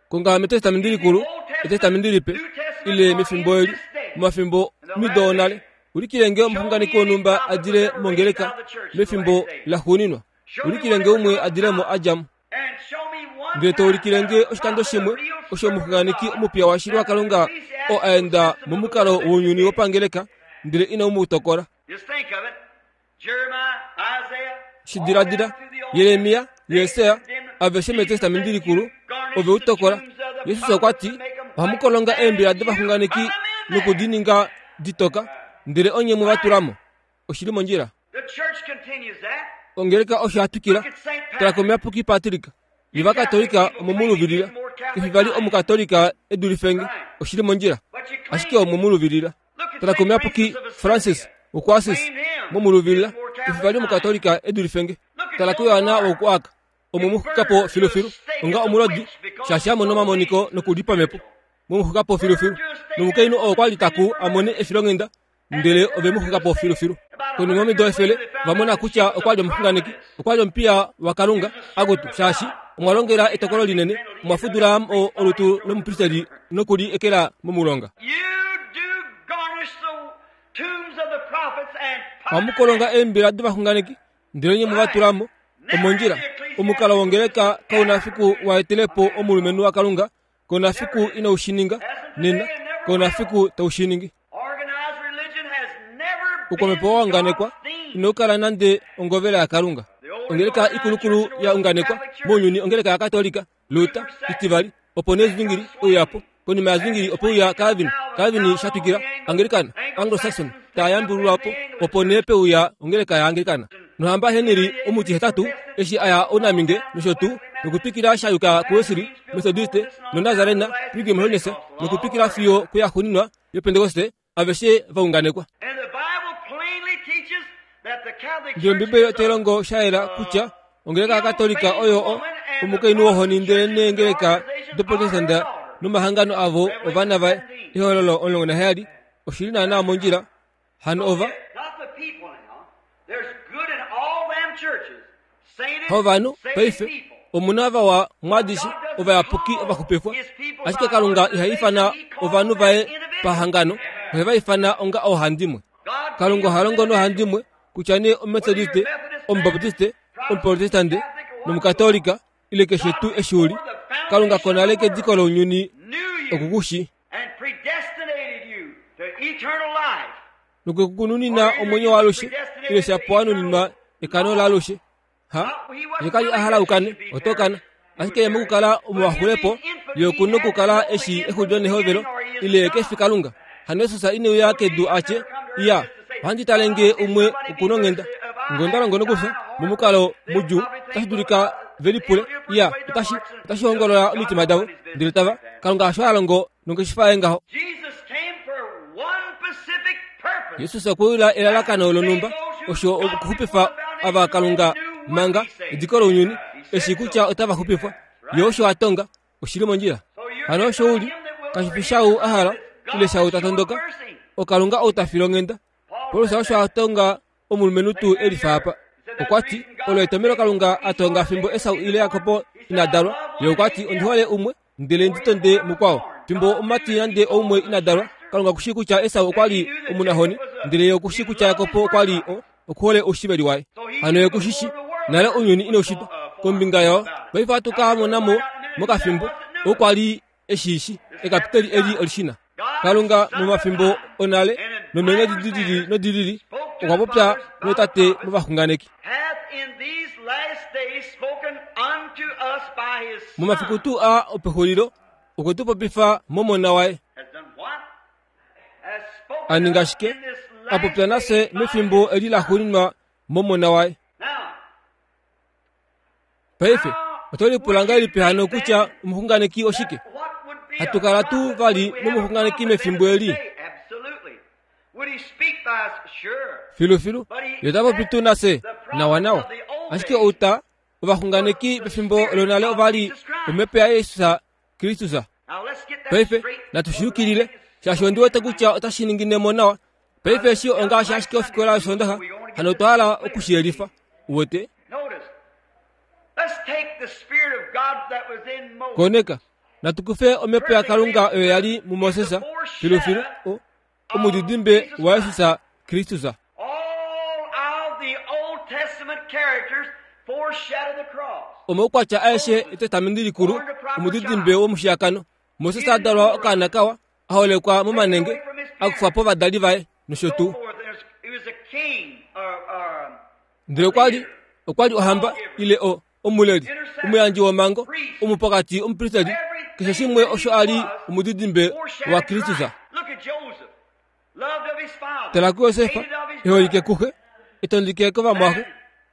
Konga mEtestamenti Likulu, Etestamenti Lipe, ile mefimbo eli, momafimbo mido onale, ulikile nge omuxunganeki wonhumba a dile mongeleka mefimbo laxuuninwa. Ulikile nge umwe a dile mo a dja mo. Ndele to ulikile nge oshikando shimwe osho omuxunganeki omupiya washili waKalunga oo a enda momukalo wounyuni wopangeleka ndele inau mu tokola. Shi diladila, Jeremia, Jesaja, aveshe mEtestamenti Likulu ove u tokola. Jesus okwa ti, Ohamu kolonga eembila dovaxunganeki noku di ninga ditoka, ndele onye mwe va tula mo. Oshi li mondjila. Ongeleka osho ya twikila. Tala komuyapuki Patrick. Ovakatolika omo mu luvilila. Kefi vali omukatolika e dulife nge. Oshi li mondjila. Ashike omo mu luvilila. Tala komuyapuki Francis wokuAssis, mo mu luvilila. Kefi vali omukatolika e dulife nge. Tala kuYohana wokuArc, omo mu xuka po filufilu onga omulodi, shaashi a mona omamoniko noku li pamhepo. Mo mu xuka po filufilu. Nomukainhu oo kwa li taku a mone efilonghenda ndele ove mu xuka po filufilu. Konima yomido efele, ova mona kutya okwa li omuxunganeki, okwa li omupiya waKalunga, akutu, shaashi omwa longela etokolo linene, omwa fudula mo olutu lomupristeli noku li ekela momulonga. Ohamu kolonga eembila dovaxunganeki, ndele nye mwe va tula mo. Omondjila, omukalo wongeleka kau na fiku wa etele po omulumenhu waKalunga, kau na fiku inau shi ninga nena, kau na fiku tau shi ningi. Oukwamhepo wa unganekwa Ino kala nande ongovela yaKalunga. Ongeleka ikulukulu ya unganekwa mounyuni ongeleka yaKatolika, Luther, itivali, opo nee Zwingli uya po. Konima yaZwingli ope uya Calvin, Calvin sha twikila, Anglikana, Anglo-Saxon taa yambululwa po, opo nee pe uya ongeleka yaAnglikana. Nohamba Henry omutihetatu eshi a ya ounaminge nosho tuu nokutwikila sha yuka kuWesley, Methodiste, noNazarena, Pilgrim Holiness, nokutwikila fiyo kuyaxuuninwa yOpentekoste, aveshe va unganekwa. Ndele Ombibeli otai longo sha yela kutya ongeleka yaKatolika oyo o, omukainhu wohoni ndele neengeleka doProtestanta nomahangano avo ovana vaye. Ehololo 17 oshi li naanaa mondjila. Hano ova Hovanhu paife omu na vawa mwaadishe ovayapuki ovaxupifwa, ashike Kalunga iha ifana ovanhu vaye pahangano, ohe va ifana onga oohandimwe. Kalunga oha longo noohandimwe kutya nee Ometodiste, Omubaptiste, Omuprotestante nOmukatolika ile keshe tuu eshi u li. Kalunga konale kediko lounyuni oku ku shii. Nokwe ku nunina omwenyo waalushe, ile shapo wa nuninwa ekano laalushe. Ha, ye ka li a hala u kane, oto kana. Ashike ye mokukala omuwaxulepo, ye oku nokukala e shii exulilo nehovelo, ile ye ke fi Kalunga. Hano Jesus ine uya kedu a tye, Iya, ohandi tale nge umwe oku nonghenda. Nge onda longo nokufya, momukalo mudjuu, otashi dulika ve lipule, Iya, otashi, otashi hongolola omitima davo. Ndele tava, Kalunga hasho ha longo nongeshefa yaye ngaho. Jesus okwe uya elalakano lonhumba, osho okuxupifa ava Kalunga manga ediko lounyuni, eshi kutya otava xupifwa. Ye osho a tonga, oshi li mondjila. Hano osho u li, kashi fi shau a hala, ile shau ta tondoka, oKalunga ou ta file onghenda. Paulus osho a tonga omulumenhu tuu e lifa apa. Okwa ti, Olo etomhelo Kalunga a tonga fimbo Esau ile Jakob ina dalwa. Ye okwa ti, Ondi hole umwe, ndele ndi tonde mukwao. Fimbo omumati nande oumwe ina dalwa, Kalunga oku shii kutya Esau okwa li omunahoni, ndele ye oku shii kutya Jakob okwa li o, okuhole oushiveli waye. Hano ye oku shi shii nale ounyuni inau shitwa. Kombinga yao, paife ohatu ka mona mo mokafimbo, ou kwa li e shi shi, ekapiteli eli oli shi na. Kalunga momafimbo onale nomeenghedi di lili nodi lili okwa popya nootate movaxunganeki. Momafiku tuu aa opexulilo okwe tu popifa mOmona waye. A ninga shike? A popya nafye mefimbo eli laxuuninwa mOmona waye. Paife, oto lipula ngahelipi hano kutya omuxunganeki oshike? Hatu kala tuu vali nomuxunganeki mefimbo eli? Filufilu, ye ota popi tuu nafye? Nawanawa. Ashike outa, ovaxunganeki pefimbo lonale ova li omhepo yaJesus Kristus. Paife, natu shi yukilile, shaashi ondi wete kutya otashi ningine mo nawa. Paife eshi ongaashi ashike ofikola yOsoondaxa, hano otwa hala oku shi yelifa. Uwete? Koneka, natu kufe omhepo yaKalunga oyo ya li muMoses, filufilu, o, omudidimbe waJesus Kristus. Omaukwatya aeshe Etestamenti Likulu, omudidimbe womushiyakano. Moses a dalwa okaana kawa, a holekwa momanenge, a kufwa povadali vaye, nosho tuu. Ndele okwa li, okwa li ohamba, ile o, omuleli, omuyandji womhango, omupokati, omupristeli, keshe shimwe osho a li omudidimbe waKristus. Tala kuJosef, e holike kuxe, e tondike kovamwaxe,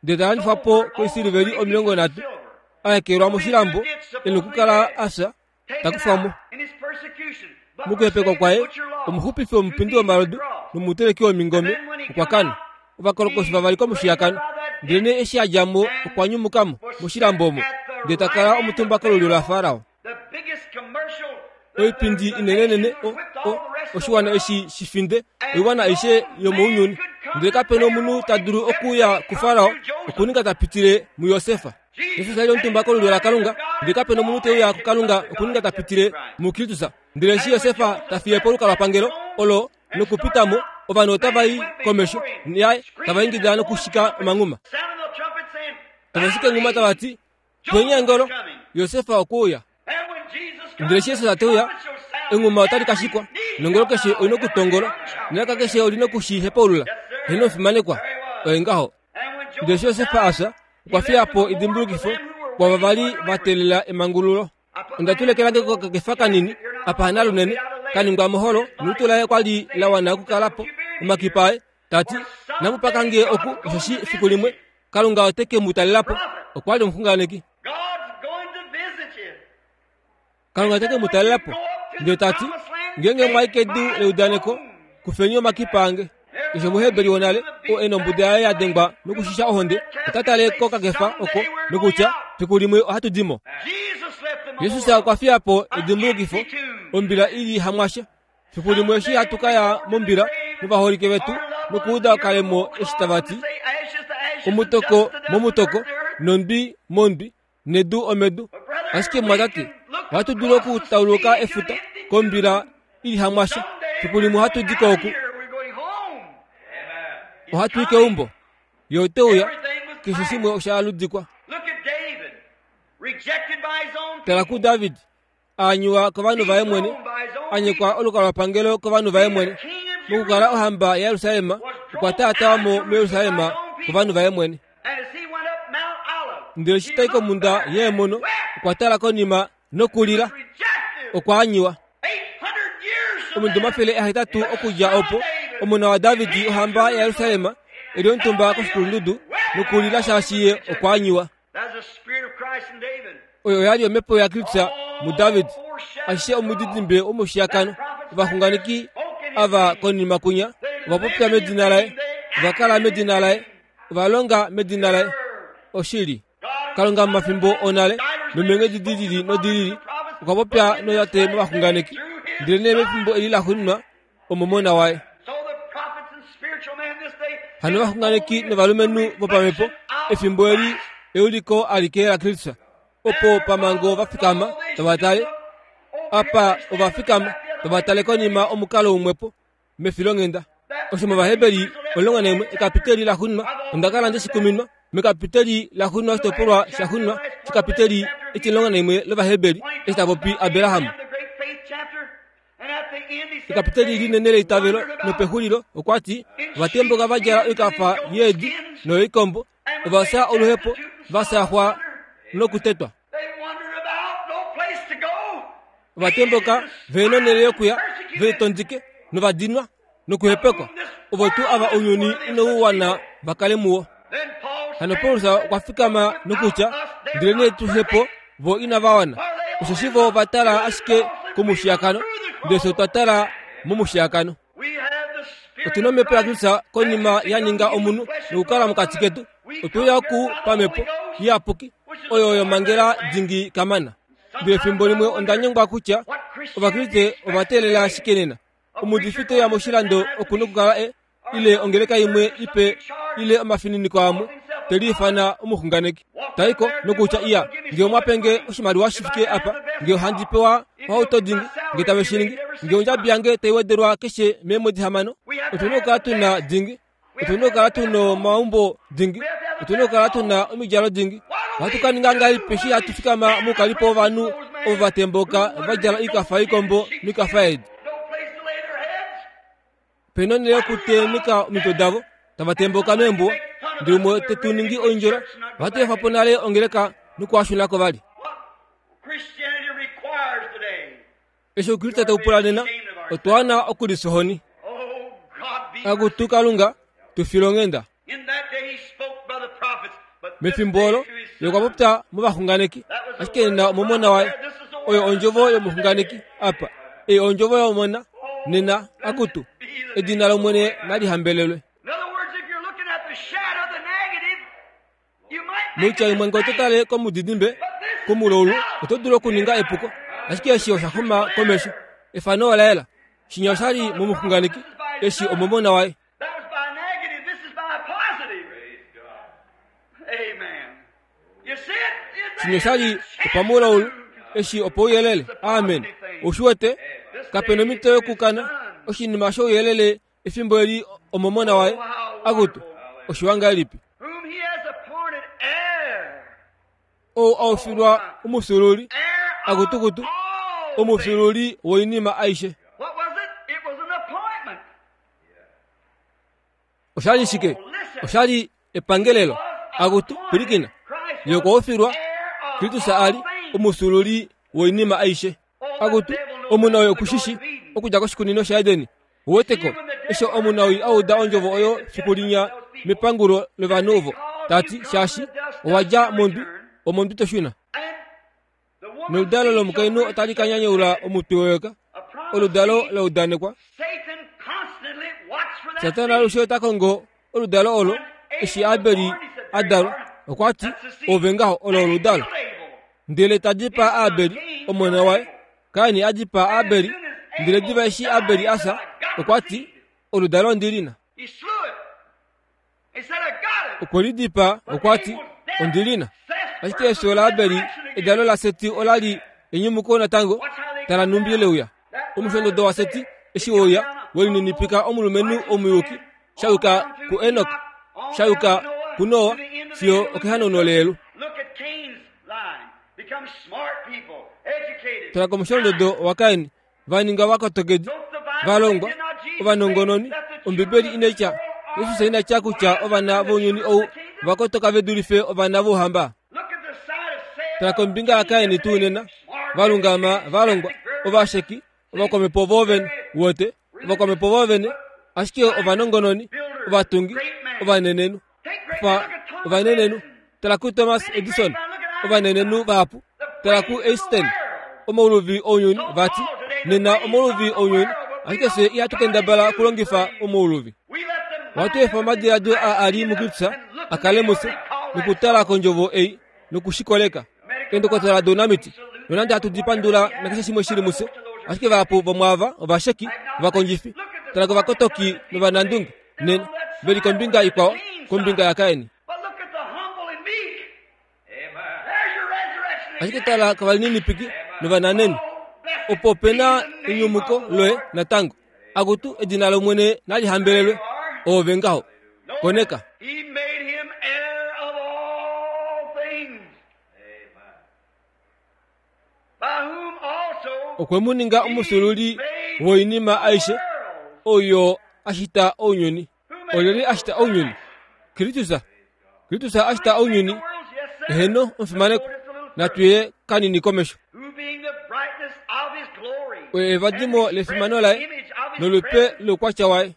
ndele ta landifwa po koisiliveli 30, a ekelwa moshilambo, e nokukala a fya, ta kufwa mo. Mokuhepekwa kwaye, omuxupifi womupindi womalodu nomuteleki womingome okwa kana. Ovakolokoshi vavali komushiyakano. Ndelenee eshi a dja mo, okwa nyumuka mo moshilambo omo, ndele ta kala omutumba kolulyo laFarao. Oipindi inenenene, o, o, oshiwana eshi shi finde oiwana aishe yomounyuni. Ndele kape nomunhu ta dulu okuuya kuFarao okuninga ta pitile muJosef. Jesus a li omutumba kolulyo laKalunga, ndele kape nomunhu te uya kuKalunga okuninga ta pitile muKristus. Ndele eshi Josef ta fiye po olukalwapangelo olo nokupita mo, ovanhu otava i komesho yaye tava ingida nokushika omanghuma. Tava shika enghuma tava ti, Twenyangelo, Josef okwe uya. Ndele eshi Jesus te uya, enghuma otali ka shikwa, nongolo keshe oi na okutongola, nelaka keshe oli na oku shi hepaulula. Heeno, omufimanekwa. Oye ngaho. Ndele eshi Josef a fya, okwa fiya po edimbulukifo kwaava va li va teelela emangululo. Onda tula eke lange kokakefa kanini apa hanalunene ka ningwa moholo nolutu laye kwa li la wana okukala po omakipa aye, ta ti, Namu paka nge oku, osheshi efiku limwe Kalunga ote ke mu talela po. Okwa li omuxunganeki. Kalunga ote ke mu talela po. Ndele ta ti, Ngeenge mwa i kedu leudaneko, kufeni omakipa ange. Keshe Omuheberi wonale, oo e nombuda yaye ya dengwa nokushisha ohonde, ota tale kokakefa oko nokutya, Fiku limwe ohatu di mo. Jesus okwa fiya po edimbulukifo, ombila i li hamwasha. Fiku limwe eshi hatu ka ya mombila novaholike vetu nokuuda okalemo eshi tava ti, Omutoko momutoko, nondwi mondwi, nedu omedu. Ashike mumwatate, ohatu dulu okutauluka efuta kombila i li hamwasha. Fiku limwe ohatu di ko oku. Ohatu i keumbo. Ye ote uya. Keshe shimwe osha aludikwa. Tala kuDavid, a anyuwa kovanhu vaye mwene, a nyekwa olukalwapangelo kovanhu vaye mwene. Mokukala ohamba yaJerusalem, okwa taatawa mo muJerusalem kovanhu vaye mwene. Ndele eshi ta i komhunda yeemono, okwa tala konima nokulila. Okwa anyiwa. Omido 800 okudja opo, omona waDavid, ohamba yaJerusalem, e li omutumba koshikulundudu nokulila shaashi ye okwa anyiwa. Oyo oya li omhepo yaKristus muDavid. Ashishe omudidimbe womoshiyakano. Ovaxunganeki ava konima kwinya ova popya medina laye, ova kala medina laye, ova longa medina laye. Oshili. Kalunga momafimbo onale nomeenghedi di lili nodi lili okwa popya nootate movaxunganeki, ndelenee mefimbo eli laxuuninwa omomona waye. Hano ovaxunganeki novalumenhu vopamhepo efimbo eli euliko alike laKristus, opo pamhango va fikama tava tale, apa ova fikama tava tale konima omukalo umwepo mefilonghenda. Osho mOvaheberi 11 ekapiteli laxuuninwa onda kala nde shi kuminwa mekapiteli laxuuninwa oshitopolwa shaxuuninwa shekapiteli etimulongo naimwe lOvaheberi eshi ta popi Abraham. Ekapiteli linene leitavelo nopexulilo okwa ti, Ovatembuka va djala oikafa yeedi noyoikombo, ova fya oluhepo, va saxwa nokutetwa. Ovatembuka ve nonhele yokuya, ve tondike novadinwa nokuhepekwa, ovo tuu ava ounyuni inau wana va kale muwo. Hano Paulus okwa fikama nokutya, Ndelenee tuhe po, vo inava wana, osheshi vo ova tala ashike komushiyakano, ndele fye otwa tala momushiyakano. Otu na omhepo yaKristus konima ya ninga omunhu nokukala mokati ketu. Otwe uya oku pamhepo iyapuki, oyo yomhangela dingi kamana. Ndele efimbo limwe onda nyengwa kutya Ovakriste ova teelela ashike nena. Omuudifi te uya moshilando oku nokukala e ile ongeleka imwe ipe ile omafininiko amwe te liifana omuxunganeki. Ta i ko nokutya iya, nge omwa pe nge oshimaliwa shi fike apa, nge ohandi pewa ohauto dingi, nge tave shi ningi, nge ondjabi yange tai wedelwa keshe meemwedi hamano, otu na okukala tu na dingi. Otu na okukala tu na omaumbo dingi. Otu na okukala tu na omidjalo dingi. Ohatu ka ninga ngahelipi eshi hatu fikama moukalipo wovanhu ovo va tembuka va djala oikafa yoikombo noikafa yeedi? Pe na onhele yokutemeka omitwe davo, tava tembuka meembuwa. Ndele umwe te tu ningi oindjola, ohatu efa po nale ongeleka nokuhashuna ko vali. Eshi Oukriste tau pula nena, otwa wana okulifya ohoni. Akutu Kalunga, tu fila onghenda. Mefimbo olo, ye okwa popya movaxunganeki, ashike nena omomona waye. Oyo ondjovo yomuxunganeki apa. Ei ondjovo yomona nena, akutu. Edina lOmwene nali hambelelwe. Moitya imwe ngee oto tale komudidimbe komulaulu oto dulu okuninga epuko, ashike eshi osha xuma komesho. Efano ola yela. Shinya osha li momuxunganeki, eshi omomona waye. Shinya osha li opamulaulu, eshi opouyelele. Amen. Ou shi wete? Kape nomhito yokukana. Oshinima shouyelele Efimbo eli omomona waye, akutu, oshiwa ngahelipi! Ou a ufilwa omufyuululi, akutukutu, omufyuululi woinima aishe. Osha li shike? Osha li epangelelo. Akutu, pwilikina. Ye okwa ufilwa, Kristus a li omufyuululi woinima aishe. Akutu, omunawii oku shi shi, okudja koshikunino shaEden. Uweteko, eshi omunawii a uda ondjovo oyo fiku linya mepangulo lovanhu ovo, ta ti, Shaashi owa dja mondwi, omondwi to shuna. Noludalo lomukainhu otali ka nyanyaula omutwe weyoka, oludalo la udanekwa. Satana alushe ota kongo oludalo olo. Eshi Abeli a dalwa, okwa ti, Ove ngaho, olo oludalo. Ndele ta dipaa Abeli, omona waye. Kain a dipaa Abeli, ndele diva eshi Abeli a fya, okwa ti, Oludalo ondi li na. Okwe li dipaa, okwa ti, Ondi li na. Ashike efyo laAbeli, edalo laSeti ola li enyumuko natango, tala nhumbi le uya. Omusholondodo waSeti eshi we uya, we lininipika omulumenhu omuyuki, sha yuka kuEnok, sha yuka kuNoa, fiyo okehanauno leyelu. Tala komusholondodo waKain, va ninga ovakotokedi, va longwa, ovanongononi. Ombibeli inai tya, Jesus ina tya kutya ovana vounyuni ou va kotoka ve dulife ovana vouhamba. Tala kombinga yaKain tuu nena, va lungama, va longwa, ovasheki, ovakwamhepo voovene, wote, ovakwamhepo voovene, ashike ovanongononi, ovatungi, ovanenenhu. Fa ovanenenhu. Tala kuThomas Edison, ovanenenhu vahapu. Tala kuEinstein, omauluvi ounyuni, vati, nena omauluvi ounyuni, ashike fye ihatu kendabala okulongifa omauluvi. Ohatu efa omadiladilo a a li muKristus a kale mufye, nokutala kondjovo ei noku shi koleka. Eendokotola dounamiti, nonande hatu di pandula nakeshe shimwe shi li mufye, ashike vahapu vomwaava ovasheki, ovakondjifi. Tala kovakotoki novanandunge, nena, ve li kombinga ikwao, kombinga yaKain. Ashike tala kovalininipiki novananenhu. Opo pe na enyumuko loye natango. Akutu, edina lOmwene nali hambelelwe. Oove ngaho. Koneka. Okwe mu ninga omufyuululi woinima aishe, oyo a shita ounyuni. Olyelye a shita ounyuni? Kristus. Kristus a shita ounyuni. Eheno, omufimanekwa. Natu ye kanini komesho. Oye evadimo lefimano laye nolupe loukwatya waye.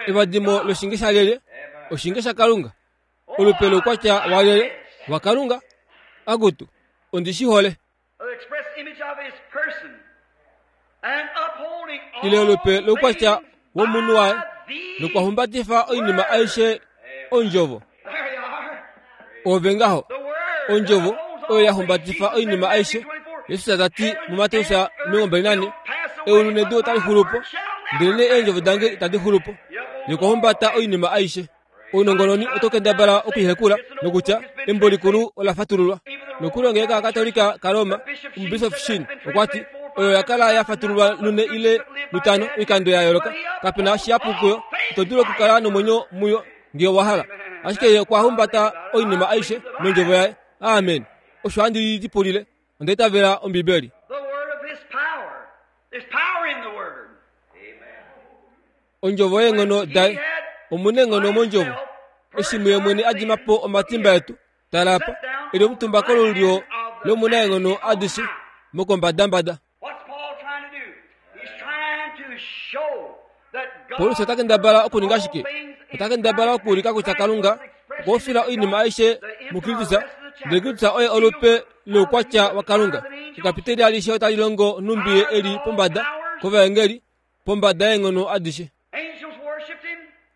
Evadimo loshinge shalyelye? Oshinge shaKalunga. Olupe loukwatya walyelye? WaKalunga. Akutu, ondi shi hole. Ile olupe loukwatya womunhu waye nokwa humbatifa oinima aishe ondjovo. Ove ngaho, ondjovo oyo ya humbatifa oinima aishe. Jesus ta ti muMateus 24, Eulu nedu otali xulu po, ndelenee eendjovo dange itadi xulu po. Ye okwa humbata oinima aishe. Ounongononi oto kendabala okuihekula nokutya embo likulu ola fatululwa. Nokuli ongeleka yaKatolika kaRoma, Omubishofi Sheen okwa ti, Oyo oya kala ya fatululwa lune ile lutano oikando ya yooloka. Kape na shihapu kuyo, ito dulu okukala nomwenyo muyo ngee owa hala. Ashike ye okwa humbata oinima aishe nondjovo yaye. Amen. Osho handi lipulile. Onda itavela Ombibeli. Ondjovo yeenghono daye. Omu na eenghono mondjovo. Eshi muye mwene a dima po omatimba etu, tala apa, e li omutumba kolulyo lOmunaenghono adishe mokombadambada. Paulus ota kendabala okuninga shike? Ota kendabala okuulika kutya Kalunga okwa ufila oinima aishe muKristus, ndele Kristus oye olupe loukwatya waKalunga. Ekapiteli alishe otali longo nhumbi ye e li pombada kovaengeli, pombada yeenghono adishe.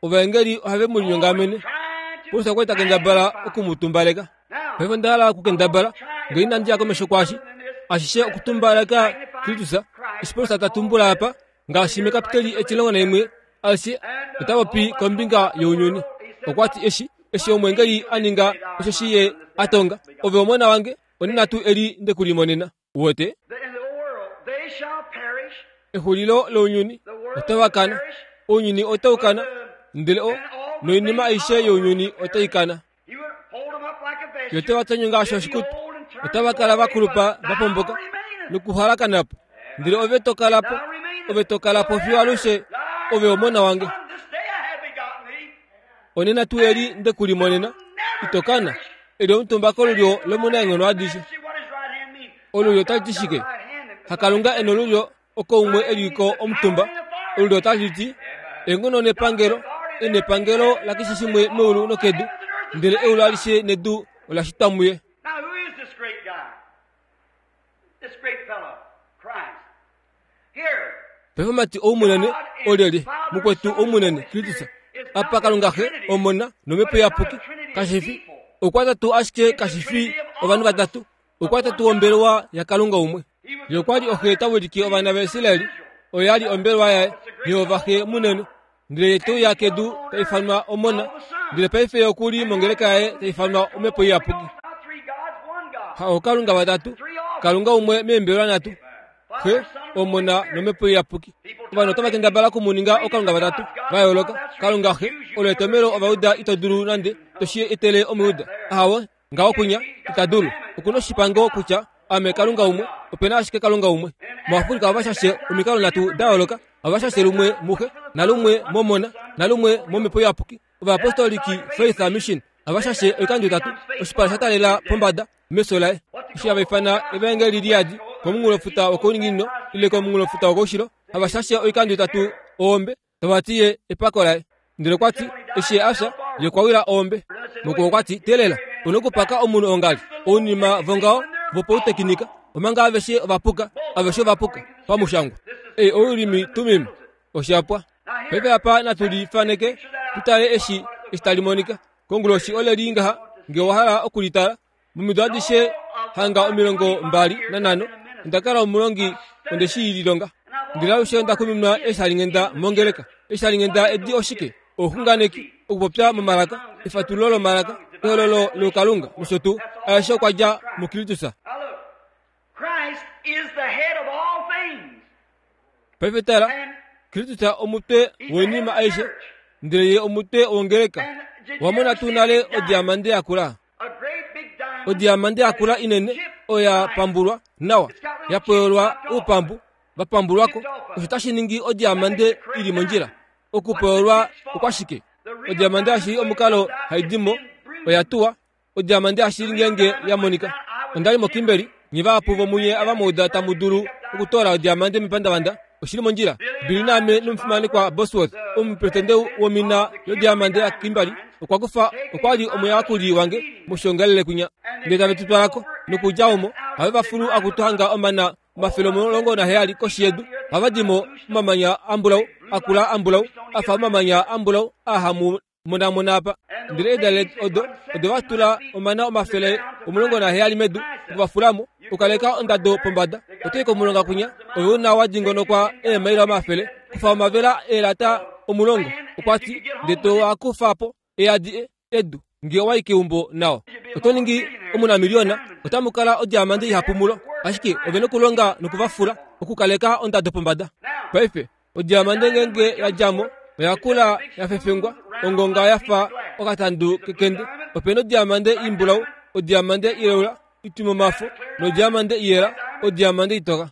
Ovaengeli ohave mu linyongamene. Paulus okwa li ta kendabala oku mu tumbaleka. Paife onda hala okukendabala nge inandi ya komesho kwaashi ashishe okutumbaleka Kristus. Eshi Paulus ta tumbula apa, ngaashi mekapiteli etilongo naimwe alishe ota popi kombinga younyuni. Okwa ti eshi eshi omwengeli a ninga osho shi ye a tonga, ove omona wange, onena tuu eli nde ku limonena. Uwete? Exulilo lounyuni otava kana. Ounyuni otau kana, ndele o noinima aishe younyuni otai kana. Yo otava tonywa ngaashi oshikutu, otava kala va kulupa va pomboka nokuhalakana po. Ndele ove to kala po, ove to kala po fiyo alushe. Ove omona wange. Onena tuu eli nde ku limonena, ito kana, e li omutumba kolulyo lOmunaenghono adishe. Olulyo otali ti shike? HaKalunga e nolulyo oko umwe e li ko omutumba. Olulyo otali ti eenghono nepangelo, e nepangelo lakeshe shimwe meulu nokedu, ndele eulu alishe nedu ola shitwa muye. Paife omati ou munene olyelye? Mukwetu ou munene, Kristus. Apa Kalunga Xe, Omona nOmhepo Iyapuki, kashi fi oukwatatu ashike kashi fi ovanhu vatatu, oukwatatu wombelewa yaKalunga umwe. Ye okwa li oxe ta wilike ovana vaIsrael, oyo ya li ombelewa yaye, Jehova Xe munene. Ndele ye te uya kedu ta ifanwa Omona, ndele paife ye oku li mongeleka yaye ta ifanwa Omhepo Iyapuki. Ha ookalunga vatatu, Kalunga umwe meembelewa nhatu, Xe, Omona nOmhepo Iyapuki. Ovanhu otava kendabala oku mu ninga ookalunga vatatu va yooloka. Kalunga Xe, olo etomhelo Ovayuda ito dulu nande to shi etele Omuyuda. Ahawe, ngaho kwinya ita dulu. Oku na oshipango kutya ame Kalunga umwe, ope na ashike Kalunga umwe. MuAfrika ohava shashe omikalo nhatu da yooloka, ohava shashe lumwe muXe, nalumwe mOmona, nalumwe mOmhepo Iyapuki. Ovaapostoliki Faith Mission ohava shashe oikando itatu, oshipala sha taalela pombada mefyo laye. Eshi hava ifana evaengeli li yadi komunghulofuta wokouninginino ile komunghulofuta wokoushilo, hava shashe oikando itatu oombe tava ti ye epako laye. Ndele okwa ti, eshi ye a fya, ye okwa wila oombe. Mukwo okwa ti, Teelela, u na okupaka omunhu ongali, ounima vongaho vopautekinika, omanga aveshe ova puka, aveshe ova puka, pamushangwa. Ei oUrimi Tumim. Osha pwa. Paife apa natu li faneke, tu tale eshi, eshi tali monika. Konguloshi ole li ngaha, nge owa hala oku li tala. Momido adishe hanga 25, onda kala omulongi, onde shi lilonga. Ndele alushe onda kuminwa eeshalinghenda mongeleka. Eeshalinghenda edi oshike? Ouxunganeki, okupopya momalaka, efatululo lomalaka, ehololo loukalunga, nosho tuu. Aeshe okwa dja muKristus. Paife tala, Kristus omutwe woinima aishe, ndele ye omutwe wongeleka. Owa mona tuu nale odiamande ya kula? Odiamande ya kula inene oya pambulwa nawa, ya pweyolwa oupambu va pambulwa ko. Osho tashi ningi odiamande i li mondjila. Okupweyolwa okwashike? Odiamande yashili omukalo hai di mo oya tuwa Odiamande yashili ngeenge ya monika. Onda li moKimberley, nye vahapu vomunye ava mwa uda tamu dulu okutoola odiamande mepandavanda, oshi li mondjila. Billy naame nomufimanekwa Bosworth, omupresidente womina yodiamande yaKimberley, okwa kufa, okwa li omuyakuli wange moshiongalele kwinya. Ndele tave tu twala ko, nokudja omo, ohave va fulu akutu hanga omana 170 koshi yedu, ohava di mo omamanya ambulau, akula ambulau, a fa omamanya ambulau aa hamu monamona apa. Ndele eedalele odo ode va tula omana 170 medu, oku va fula mo, okukaleka ondado pombada. Oto i komulonga kwinya, ove u na wa dingonokwa eemaila omafele, kufa omavela eelata 10, okwa ti, ndele to a kufa po, e yadi e, edu. Nge owa i keumbo nao, oto ningi omunamiliona, otamu kala odiamande ihapu mulo. Ashike ove nokulonga noku va fula, okukaleka ondado pombada. Paife, Odiamande ngeenge ya dja mo, oya kula ya fefengwa, ongonga ya fa okatandu kekende. Ope na odiamande imbulau, odiamande ileula, itwimomafo, nodiamande iyela, odiamande itoka.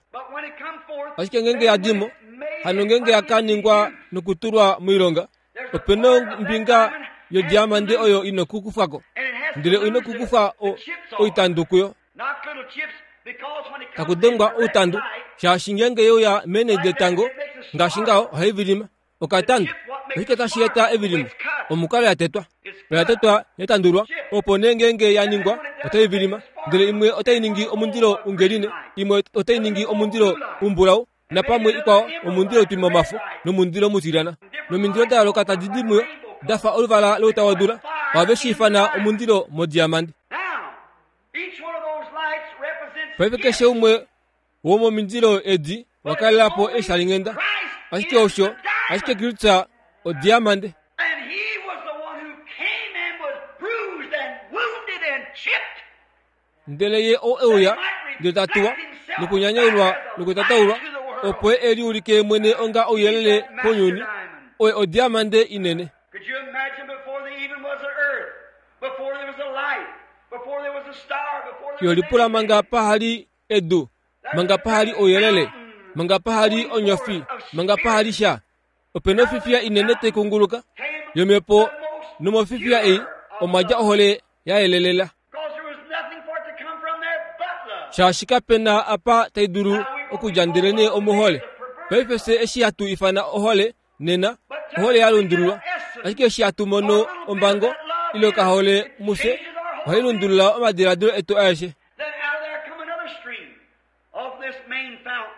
Ashike ngeenge ya di mo, hano ngeenge ya ka ningwa nokutulwa moilonga, ope na ombinga yodiamande oyo i na okukufwa ko, ndele oi na okukufwa oitandu kuyo. Taku dengwa outandu, shaashi ngeenge ye uya meenhe detango ngaashi ngaho ohai vilima. Okatandu oshike tashi eta evilimo? Omukalo ya tetwa. Oya tetwa ya tandulwa, opo nee ngeenge ya ningwa otai vilima. Ndele imwe otai ningi omundilo ungeline, imwe otai ningi omundilo umbulau, napamwe ikwao omundilo utwima omafo nomundilo mutilyana. Nomindilo da yooloka tadi di muyo, da fa oluvala louta wodula, ohave shi ifana omundilo modiamande. Paife keshe umwe womomindilo edi wa kalela po eeshalinghenda. Ashike osho ashike Kristus odiamande. Ndele ye ou e uya, ndele ta tuwa, nokunyanyaulwa nokutataulwa, opo ye e liulike ye mwene onga ouyelele kounyuni, oye odiamande inene. Yo lipula manga paha li edu, manga paha li ouyelele, manga paha li onyofi, manga paha li sha. Ope na ofifiya inene tai kunguluka yomhepo, nomofifiya ei omwa dja ohole ya yelelela. Shaashi kape na apa tai dulu okudja ndelenee omohole. Paife fye eshi hatu ifana ohole nena, ohole ya lundululwa. Ashike eshi hatu mono ombango ile okahole mufye, ohai lundulula omadiladilo etu aeshe.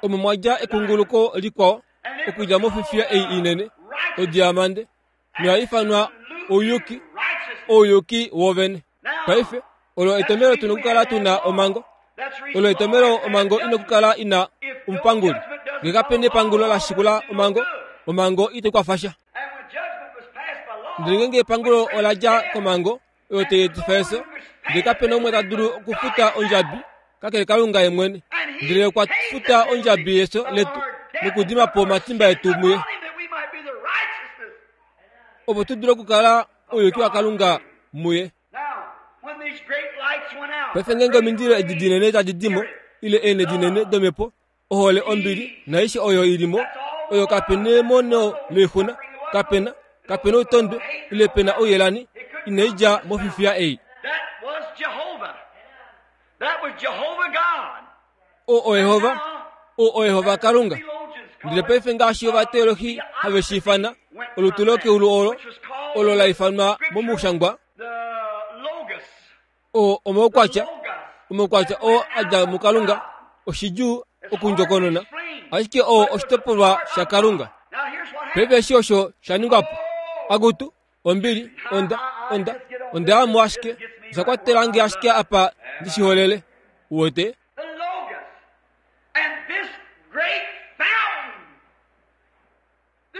Omo mwa dja ekunguluko likwao okudja mofifiya ei inene, odiamande, noya ifanwa ouyuki, ouyuki wovene. Paife, olo etomelo tu nokukala tu na omhango. Olo etomelo omhango i nokukala i na omupanguli. Nge kape nepangulo la shikula omhango, omhango itai kwafa sha. Ndele ngeenge epangulo ola dja komhango, oyo tai etifa efyo, ndele kape na umwe ta dulu okufuta ondjabi kakele Kalunga ye mwene. Ndele okwa futa ondjabi yefyo letu nokudima po omatimba etu muye, opo tu dule okukala ouyuki waKalunga muye. Paife ngeenge omindilo edi dinene tadi di mo, ile eenhe dinene domhepo, ohole, ombili naaishe oyo i li mo, oyo kape nemono loixuna, kape na, kape na outondwe, ile pe na ouyelani, inai dja mofifiya ei. O oYehova, o oYehova Kalunga. Ndele paife ngaashi ovateolohi have shi ifana, olutu lokeulu olo, olo la ifanwa momushangwa, o omaukwatya, omaukwatya oo a dja muKalunga, oshidjuu okundjokonona, ashike oo oshitopolwa shaKalunga. Paife eshi osho sha ningwa po. Akutu, Ombili, onda, onda, onda ya mo ashike. Osha kwatela nge ashike apa ndi shi holele. Uwete?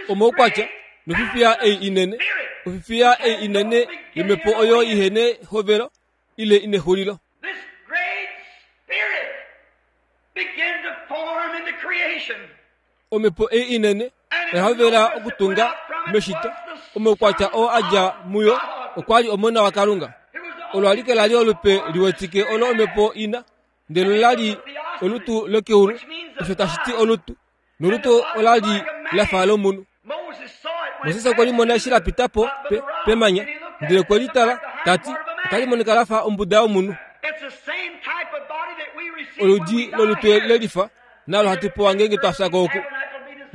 Omaukwatya nofifiya ei inene, ofifiya ei inene yomhepo oyo ihe nehovelo ile inexulilo. Omhepo ei inene oya hovela okutunga meshito. Omaukwatya oo a dja muyo okwa li Omona waKalunga. Olo alike la li olupe liwetike olo omhepo i na, ndele ola li olutu lokeulu, osho tashi ti olutu, nolutu ola li la fa lomunhu. Moses okwe limona eshi la pita po pe, pemanya, ndele okwe li tala, ta ti, Otali monika la fa ombuda yomunhu. Oludi lolutu le lifa nalo hatu pewa ngeenge twa fya ko oku.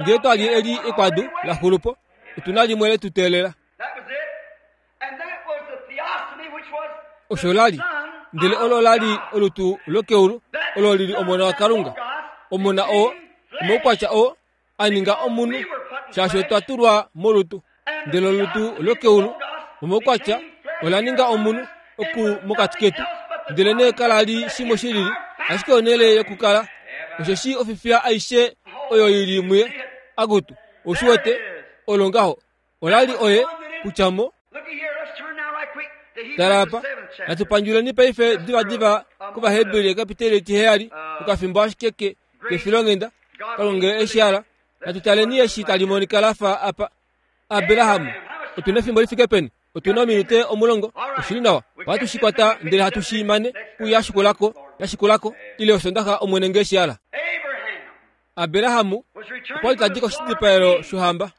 Ngee twa li eli ekwadu la xulu po, otu na limwe le tu teelela. Osho la li. Ndele olo la li olutu lokeulu, olo li li Omona waKalunga. Omona oo, omaukwatya oo, a ninga omunhu, shaashi otwa tulwa molutu. Ndele olutu lokeulu, omaukwatya, ola ninga omunhu oku mokati ketu. Ndele nee kala li shimwe shi lili, ashike onhele yokukala. Osheshi ofifiya aishe oyo i li muye, akutu, ou shi wete, olo ngaho. Ola li oye, kutya mo. Tala apa, natu pandjuleni paife divadiva kOvaheberi ekapiteli etiheyali, okafimbo ashike ke, kefilonghenda. Kalunga eshi ala, natu taleni eshi tali monika la fa apa. Abraham, otu na efimbo li fike peni? Otu na ominute omulongo. Oshi li nawa. Ohatu shi kwata ndele hatu shi mane kuya shikulako, ya shikulako, ile Osondaxa Omwene nge shi ala. Abraham okwa li ta di koshidipaelo shohamba.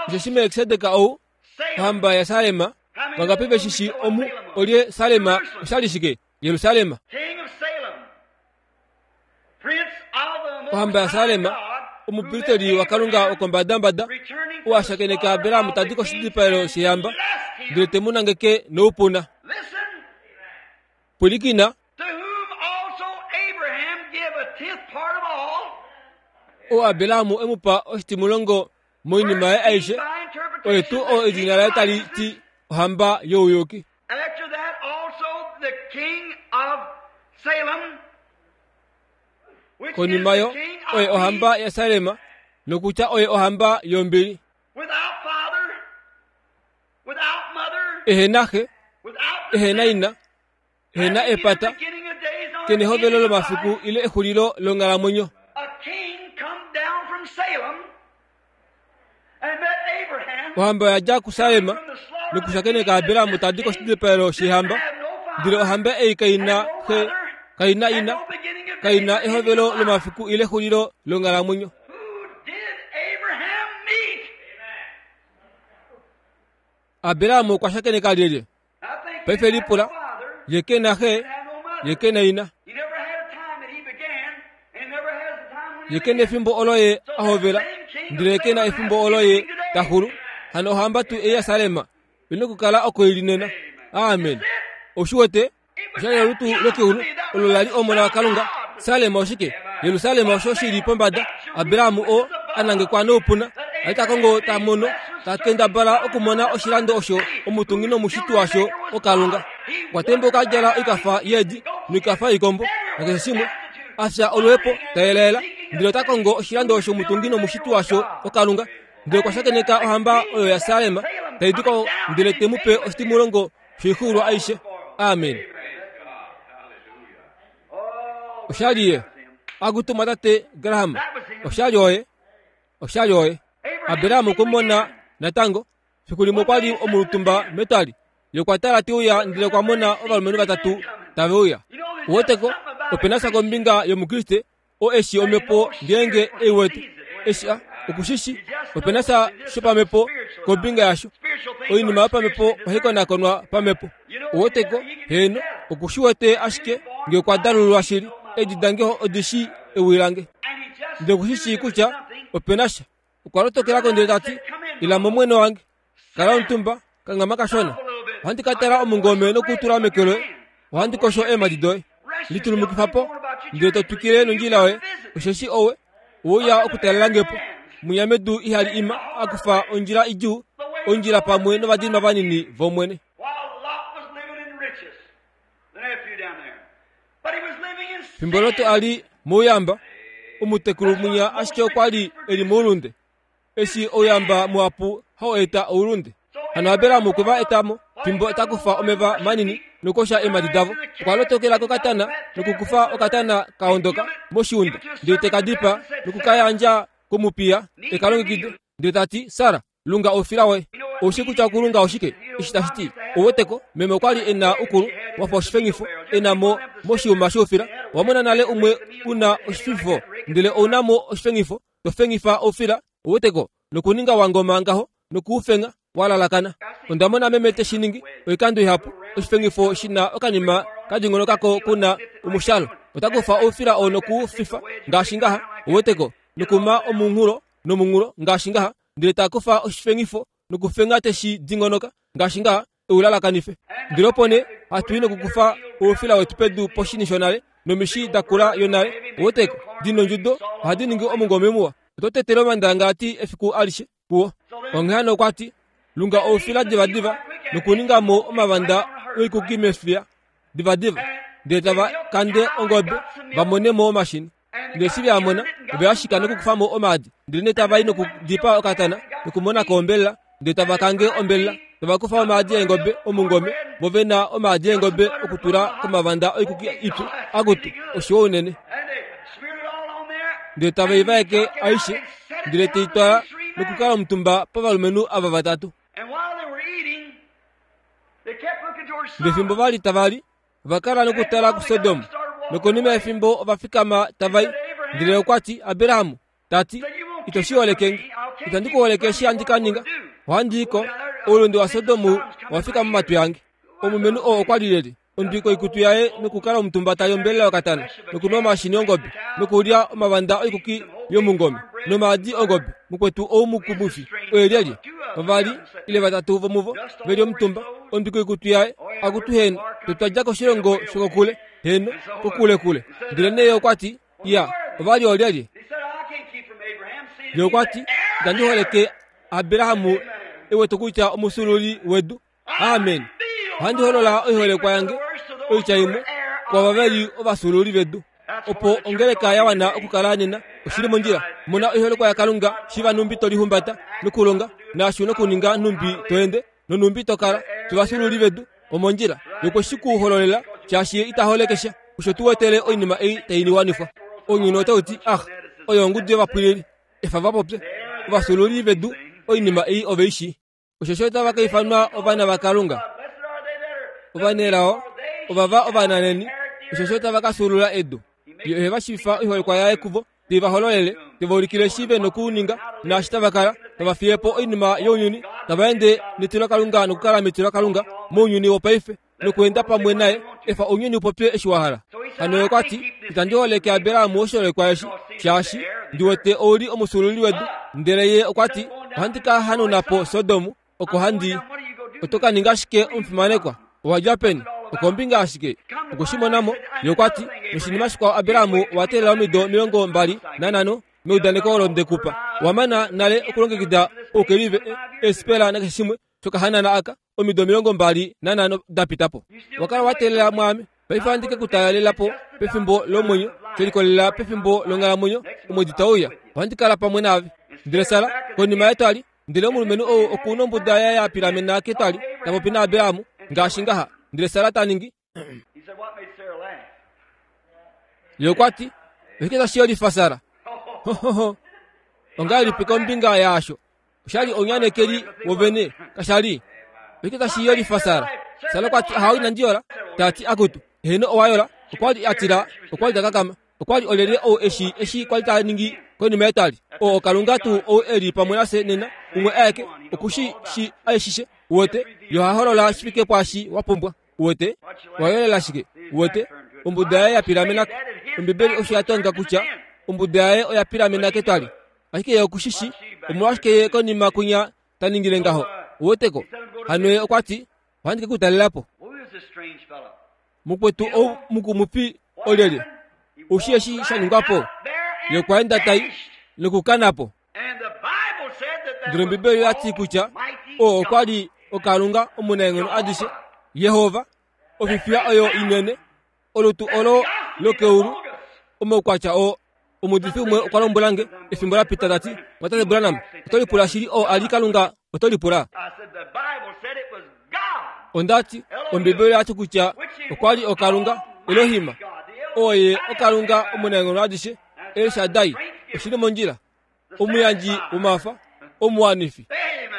Osheshi Melkisedek ou, ohamba yaSalem, vangapi ve shi shii omu olye Salem osha li shike? Jerusalem. Ohamba yaSalem, omupristeli waKalunga wokombadambada, ou a shakeneka Abraham ta di koshidipaelo shehamba, ndele te mu nangeke noupuna. Pwilikina. Ou Abraham e mu pa oshitimulongo moinima yaye aishe, oye tuu oo edina laye tali ti ohamba youyuki. After that also the king of Salem, which is Konima the yo, king of oye ohamba peace, yaSalem, nokutya oye ohamba yombili. without father, without mother, Ehe na xe, without ehe na descent, ina, ehe na having neither epata, beginning of days nor ke nehovelo ending of lomafiku life, ile exulilo longhalamwenyo. a king come down from Salem and met Abraham Ohamba oya dja kuSalem nokushakeneka Abraham ta di koshidipayelo shehamba, ndele ohamba ei kai na xe, kai na ina, Kai na ehovelo lomafiku ile exulilo longhalamwenyo. Abraham okwa shakeneka lyelye? Paife lipula, ye ke na xe, ye ke na ina. Ye ke na efimbo olo ye a hovela, ndele ke na efimbo olo ye ta xulu. Hano ohamba tuu ei yaSalem i nokukala oko i li nena. Amen. Ou shi wete? Osha li olutu lokeulu olo la li Omona waKalunga. Salem oshike? Jerusalem osho shi li pombada. Abraham oo a nangekwa noupuna a li ta kongo ta mono, ta kendabala okumona oshilando osho omutungi nomushiti washo oKalunga. Okwa tembuka a djala oikafa yeedi noikafa yoikombo nakeshe shimwe, a fya oluhepo, ta yelaela, ndele ota kongo oshilando osho omutungi nomushiti washo oKalunga. Ndele okwa shakeneka ohamba oyo yaSalem tai di ko ndele te mu pe oshitimulongo shoixuulwa aishe. Amen. Oshali ye. Akutu tate Graham. Oshali oye. Oshali oye. Abraham okwe mona natango. Fiku limwe okwa li omulutumba metwali. Ye okwa tala te uya ndele okwa mona ovalumenhu vatatu tave uya. Uweteko, ope na sha kombinga yOmukriste o eshi omhepo ngeenge e wete eshi a oku shi shi ope na sha shopamhepo kombinga yasho oinima yopamhepo ohai konakonwa pamhepo oweteko heeno oku shi wete ashike nge okwa dalululwa shili edi dange odi shi ewi lange ndele oku shi shii kutya ope na sha okwa lotokela ko ndele ta ti ila momwene wange Kala omutumba, kanghama kashona. Ohandi ka tala omungome nokutula meke loye. Ohandi kosho eemhadi doye. Litulumukifa po, ndele to twikile nondjila yoye, osheshi owe uya okutalela nge po. Mwinya medu ihali ima a kufa ondjila idjuu, ondjila pamwe novadinwa vanini vOmwene. Fimbo Lot a li mouyamba, omutekulu mwinya ashike okwa li e li moulunde. Eshi ouyamba muhapu hau eta oulunde. Hano Abraham okwe va eta mo, fimbo ta kufa omeva manini nokukosha eemhadi davo. Okwa lotokela kokatana nokukufa okatana ka ondoka moshiunda, ndele te ka dipaa noku ka yandja komupiya e ka longekide, ndele ta ti, Sara, lunga oufila woye. Ou shii kutya okulunga oshike? Eshi tashi ti, ou weteko, meme okwa li e na ukulu wa fa oshifengifo, e na mo moshiyuma shoufila. Owa mona nale umwe u na oshififo, ndele ou na mo oshifengifo, to fengifa oufila, uweteko, nokuninga wa ngoma ngaho, noku u fenga, wa lalakana. Onda mona meme te shi ningi oikando ihapu, oshifengifo shi na okanima ka dingonokako ku na omushalo. Ota kufa oufila oo noku u fifa ngaashi ngaha, uweteko, nokuma omunghulo nomunghulo ngaashi ngaha, ndele ta kufa oshifengifo nokufenga te shi dingonoka ngaashi ngaha, e u lalakanife. Ndele opo nee hatu i nokukufa oufila wetu pedu poshini shonale nomishi da kula yonale, uweteko, di nondjudo, ohadi ningi omungome muwa. Oto tetele omandangalati efiku alishe kuwo. Onghee hano okwa ti, Lunga oufila divadiva nokuninga mo omavanda oikuki mefiya divadiva, ndele tava kande ongobe va mone mo omashini. Ndele eshi ve a mona, ove a shika nokukufa mo omaadi. Ndele nee tava i nokudipaa okatana nokumona ko ombelela, ndele tava kange ombelela, tava kufa omaadi eengobe omungome, vo ve na omaadi eengobe okutula komavanda oikuki ipyu. Akutu, oshiwa unene! Ndele tave i vaeke aishe, ndele te i twala nokukala omutumba povalumenhu ava vatatu. Ndele fimbo va li tava li, Ova kala nokutala kuSodom, nokonima yefimbo ova fikama tava i. Ndele okwa ti, Abraham, ta ti, ito shi holeke nge. Itandi ku holeke eshi handi ka ninga. Ohandi i ko. Oulunde waSodom owa fika momatwi ange. Omulumenhu oo okwa li lyelye? Ondwi koikutu yaye nokukala omutumba ta li ombelela yokatana, nokunwa omashini ongobe, nokulya omavanda oikuki yomungome, nomaadi ongobe. Mukwetu ou mukumwifi oye lyelye? Vavali ile vatatu vomuvo ve li omutumba, ondwi koikutu yaye, akutu heeno, fye twa dja koshilongo shokokule, heeno, kokulekule. Ndele nee okwa ti, Ya, ova li oolyelye? Ye okwa ti, Itandi holeke Abraham e wete kutya omufyuululi wedu. Amen. Ohandi holola oiholekwa yange, oitya imwe, kwaava ve li ovafyuululi vedu. Opo ongeleka ya wana okukala nena, oshi li mondjila. Mona oiholekwa yaKalunga, shiva nhumbi to lihumbata, nokulonga, naashi u nokuninga nhumbi to ende, nonhumbi to kala. Fye ovafyuululi vedu, omondjila. Ye okwe shi ku hololela, shaashi Ye ita holeke sha. Osho tu wetele oinima ei tai wanifwa. Ounyuni otau ti, Ah, oyo ongudu yovapwilili. Efa va popye. Ovafyuululi vedu, oinima ei ove i shii. Osheshi otava ka ifanwa ovana vaKalunga. Ovanelao ovava ovananeni, osheshi otava ka fyuulula edu. Ye ohe va shiivifa oiholekwa yaye kuvo, te va hololele, te va ulikile eshi ve nokuninga naashi tava kala, tava fiye po oinima younyuni, tava ende netilokalunga nokukala metilokalunga mounyuni wopaife nokweenda pamwe naye. Efa ounyuni u popye eshi wa hala. Hano ye okwa ti, Itandi holeke Abraham oshiholekwa eshi, shaashi ndi wete ou li omufyuululi wedu. Ndele ye okwa ti, Ohandi ka hanauna po Sodom, oko handi i. Oto ka ninga shike omufimanekwa? Owa dja peni? Okombinga ashike. Okwe shi mona mo. Ye okwa ti, Noshinima shikwao Abraham owa teelela omido 25 meudaneko olo nde ku pa. Owa mana nale okulongekida oukelive, eesipela nakeshe shimwe shokahanana aka, omido 25 da pita po. Owa kala wa teelela mwaame. Paife ohandi ke ku talela po pefimbo lomwenyo, she likolelela pefimbo longhalamwenyo, omwedi tau uya. Ohandi kala pamwe naave. Ndele Sara, konima yetwali, Ndele omulumenhu ou oku nombuda yaye ya pilamena ketwali, ta popi naAbraham ngaashi ngaha. Ndele Sara ta ningi. Ye okwa ti, Oshike tashi yolifa Sara? Hohoho. Ongahelipi kombinga yaasho? Osha li ounyanekeli wovene, kasha li? Oshike tashi yolifa Sara? Sara okwa ti, Ahawe, inandi yola. Ta ti, Akutu, heeno owa yola. Okwa li a tila, okwa li ta kakama. Okwa li olyelye ou eshi eshi kwa li ta ningi konima yetwali? Oo Kalunga tuu ou e li pamwe nafye nena, umwe aeke, oku shi shi aishishe. Uwete? Ye oha holola shi fike pwaashi wa pumbwa. Uwete? Owa yolela shike? Uwete? Ombuda yaye ya pilamena ko. Ombibeli osho ya tonga kutya ombuda yaye oya pilamena ketwali. Ashike ye oku shi shi omolwashike ye konima kwinya ta ningile ngaho. Uweteko? Hano ye okwa ti, Ohandi ke ku talela po. Mukwetu ou mukumufi olyelye? Oushi eshi sha ningwa po? Ye okwa enda tai nokukana po. Ndele Ombibeli oya ti kutya oo okwa li oKalunga omunaenghono adishe, Jehova, ofifiya oyo inene, olutu olo lokeulu, omaukwatya oo. Omuudifi umwe okwa lombwela nge efimbo la pita ta ti, Mwatate Branham, oto lipula shili oo a li Kalunga? Oto lipula? Onda ti, Ombibeli oya ti kutya okwa li oKalunga, Elohim, oo ye oKalunga omunaenghono adishe, El Shaddai, oshi li mondjila, omuyandji womafa, omuwanifi.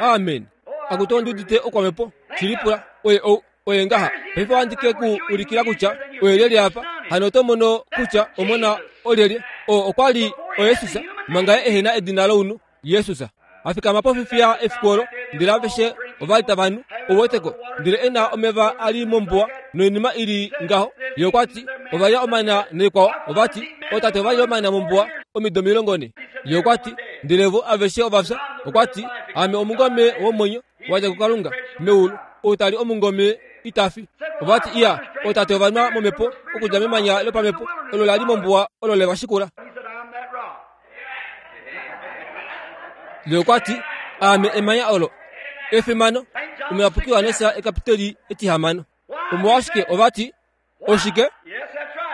Amen. Akutu ondi udite okwamhepo, shi lipula, oye ou. Oye ngaha. Paife ohandi ke ku ulikila kutya oye lyelye apa. Hano oto mono kutya omona olyelye. Oo okwa li oJesus, manga ye ehe na edina lounhu, Jesus. A fikama pofifiya efiku olo, ndele aveshe ova li tava nu, ou weteko, ndele e na omeva a li mombuwa noinima i li ngaho. Ye okwa ti, Ova lya omana naikwao. Ova ti, Ootate ova lya omana mombuwa omido 40. Ye okwa ti, Ndele vo aveshe ova fya. Okwa ti, Aame omungome womwenyo. wa dja kuKalunga meulu, ou ta li omungome ita fi. Ova ti, Iya, ootate ova nwa momhepo okudja memanya lopamhepo olo la li mombuwa olo le va shikula. Ye okwa ti, Aame emanya olo. Efimano! Omuyapuki Johannes ekapiteli etihamano. Omolwashike ova ti, Oshike?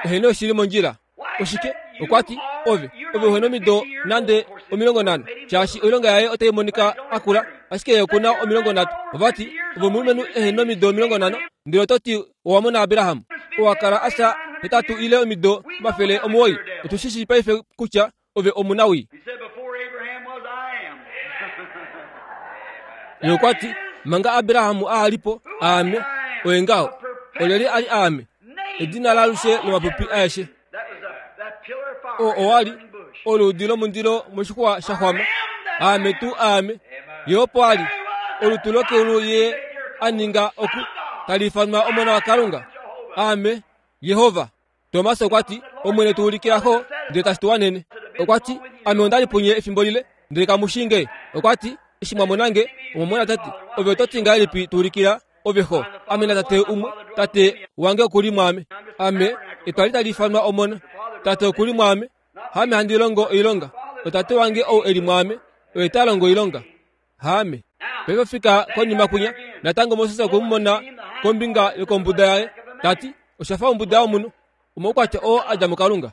Eheno oshi li mondjila. Oshike? Okwa ti, Ove, ove uhe nomido nande 50, shaashi oilonga yaye otai monika a kula, ashike ye oku na 30. Ova ti, Ove omulumenhu ehe nomido 50, ndele oto ti owa mona Abraham? Owa kala a fya hetatu ile omido 900. Otu shi shii paife kutya ove omunawii. Ye okwa ti, Manga Abraham a li po, aame, oye ngaho. Olyelye a li aame? Edina laalushe lomapupi aeshe. Oo owa li oluudi lomundilo moshixwa sha xwama. Aame tuu aame. Ye opo a li, olutu lokeulu ye a ninga oku, tali ifanwa Omona waKalunga. Aame, Jehova. Tomas okwa ti, Omwene tu ulikila xo, ndele tashi tu wanene. Okwa ti, Ame onda li punye efimbo lile, ndele kamu shii nge. Okwa ti, Eshi mwa mona nge, omwa mona Tate. Ove oto ti ngahelipi tu ulikila ove xo? Ame naTate umwe, Tate wange oku li mwaame. Ame, etwali tali ifanwa Omona. Tate oku li mwaame. Haame handi longo oilonga, oTate wange ou e li mwaame, oye ta longo oilonga. Haame. Paife fika konima kwinya, natango Moses okwe mu mona kombinga yokombuda yaye, ta ti, Osha fa ombuda yomunhu, omaukwatya oo a dja muKalunga.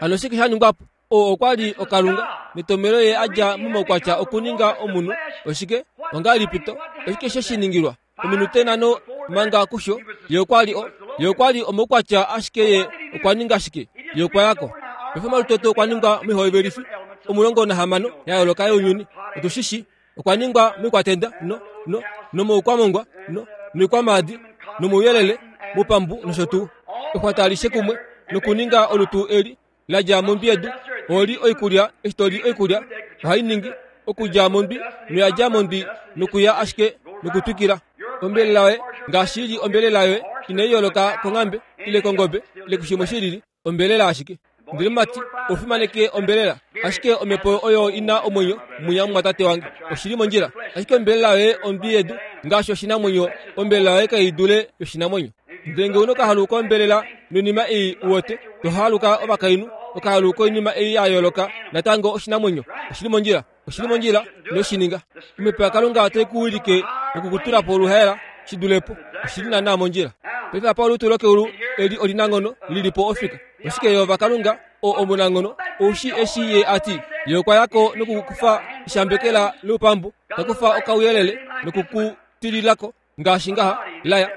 Hano oshike sha ningwa po? Oo okwa li oKalunga, netomhelo ye a dja momaukwatya okuninga omunhu. Oshike? Ongahelipi to? Oshike she shi ningilwa? Ominute nhano manga kusho, ye okwa li o, ye okwa li omaukwatya ashike ye okwa ninga shike? Ye okwa ya ko. Paife omalutu etu okwa ningwa moihovelifo 16 ya yooloka younyuni. Otu shi shi. Okwa ningwa moikwatenda, no, no, nomoukwamongwa, no, noikwamaadi, nomouyelele, moupambu nosho tuu. Exwata alishe kumwe. nokuninga olutu eli la dja mondwi yedu. Oho li oikulya, eshi to li oikulya, ohai ningi okudja mondwi noya dja mondwi nokuya ashike nokutwikila. Ombelela yoye, ngaashi i li ombelela yoye, inai yooloka konghambe ile kongobe ile kushimwe shi lili, ombelela ashike. Ndele mumati, ou fimaneke ombelela, ashike omhepo oyo i na omwenyo mwinya mumwatate wange. Oshi li mondjila. Ashike ombelela yoye ondwi yedu, ngaashi oshinamwenyo, ombelela yoye kai dule yoshinamwenyo. Ndele nge u nokahalu kombelela noinima ei u wete, to haluka ovakainhu, okahalu koinima ei ya yooloka, natango oshinamwenyo. Oshi li mondjila. Oshi li mondjila, ino shi ninga. Omhepo yaKalunga otai ku wilike noku ku tula po oluhaela shi dule po. Oshi li naanaa mondjila. Paife apa olutu lokeulu eli olinanghono li li po ofika. Oshike Jehova Kalunga, oo omunanghono, ou shii eshi Ye a ti? Ye okwa ya ko noku kufa eshambekela loupambu, ta kufa okauyelele noku ku tilila ko. ngaashi ngaha laya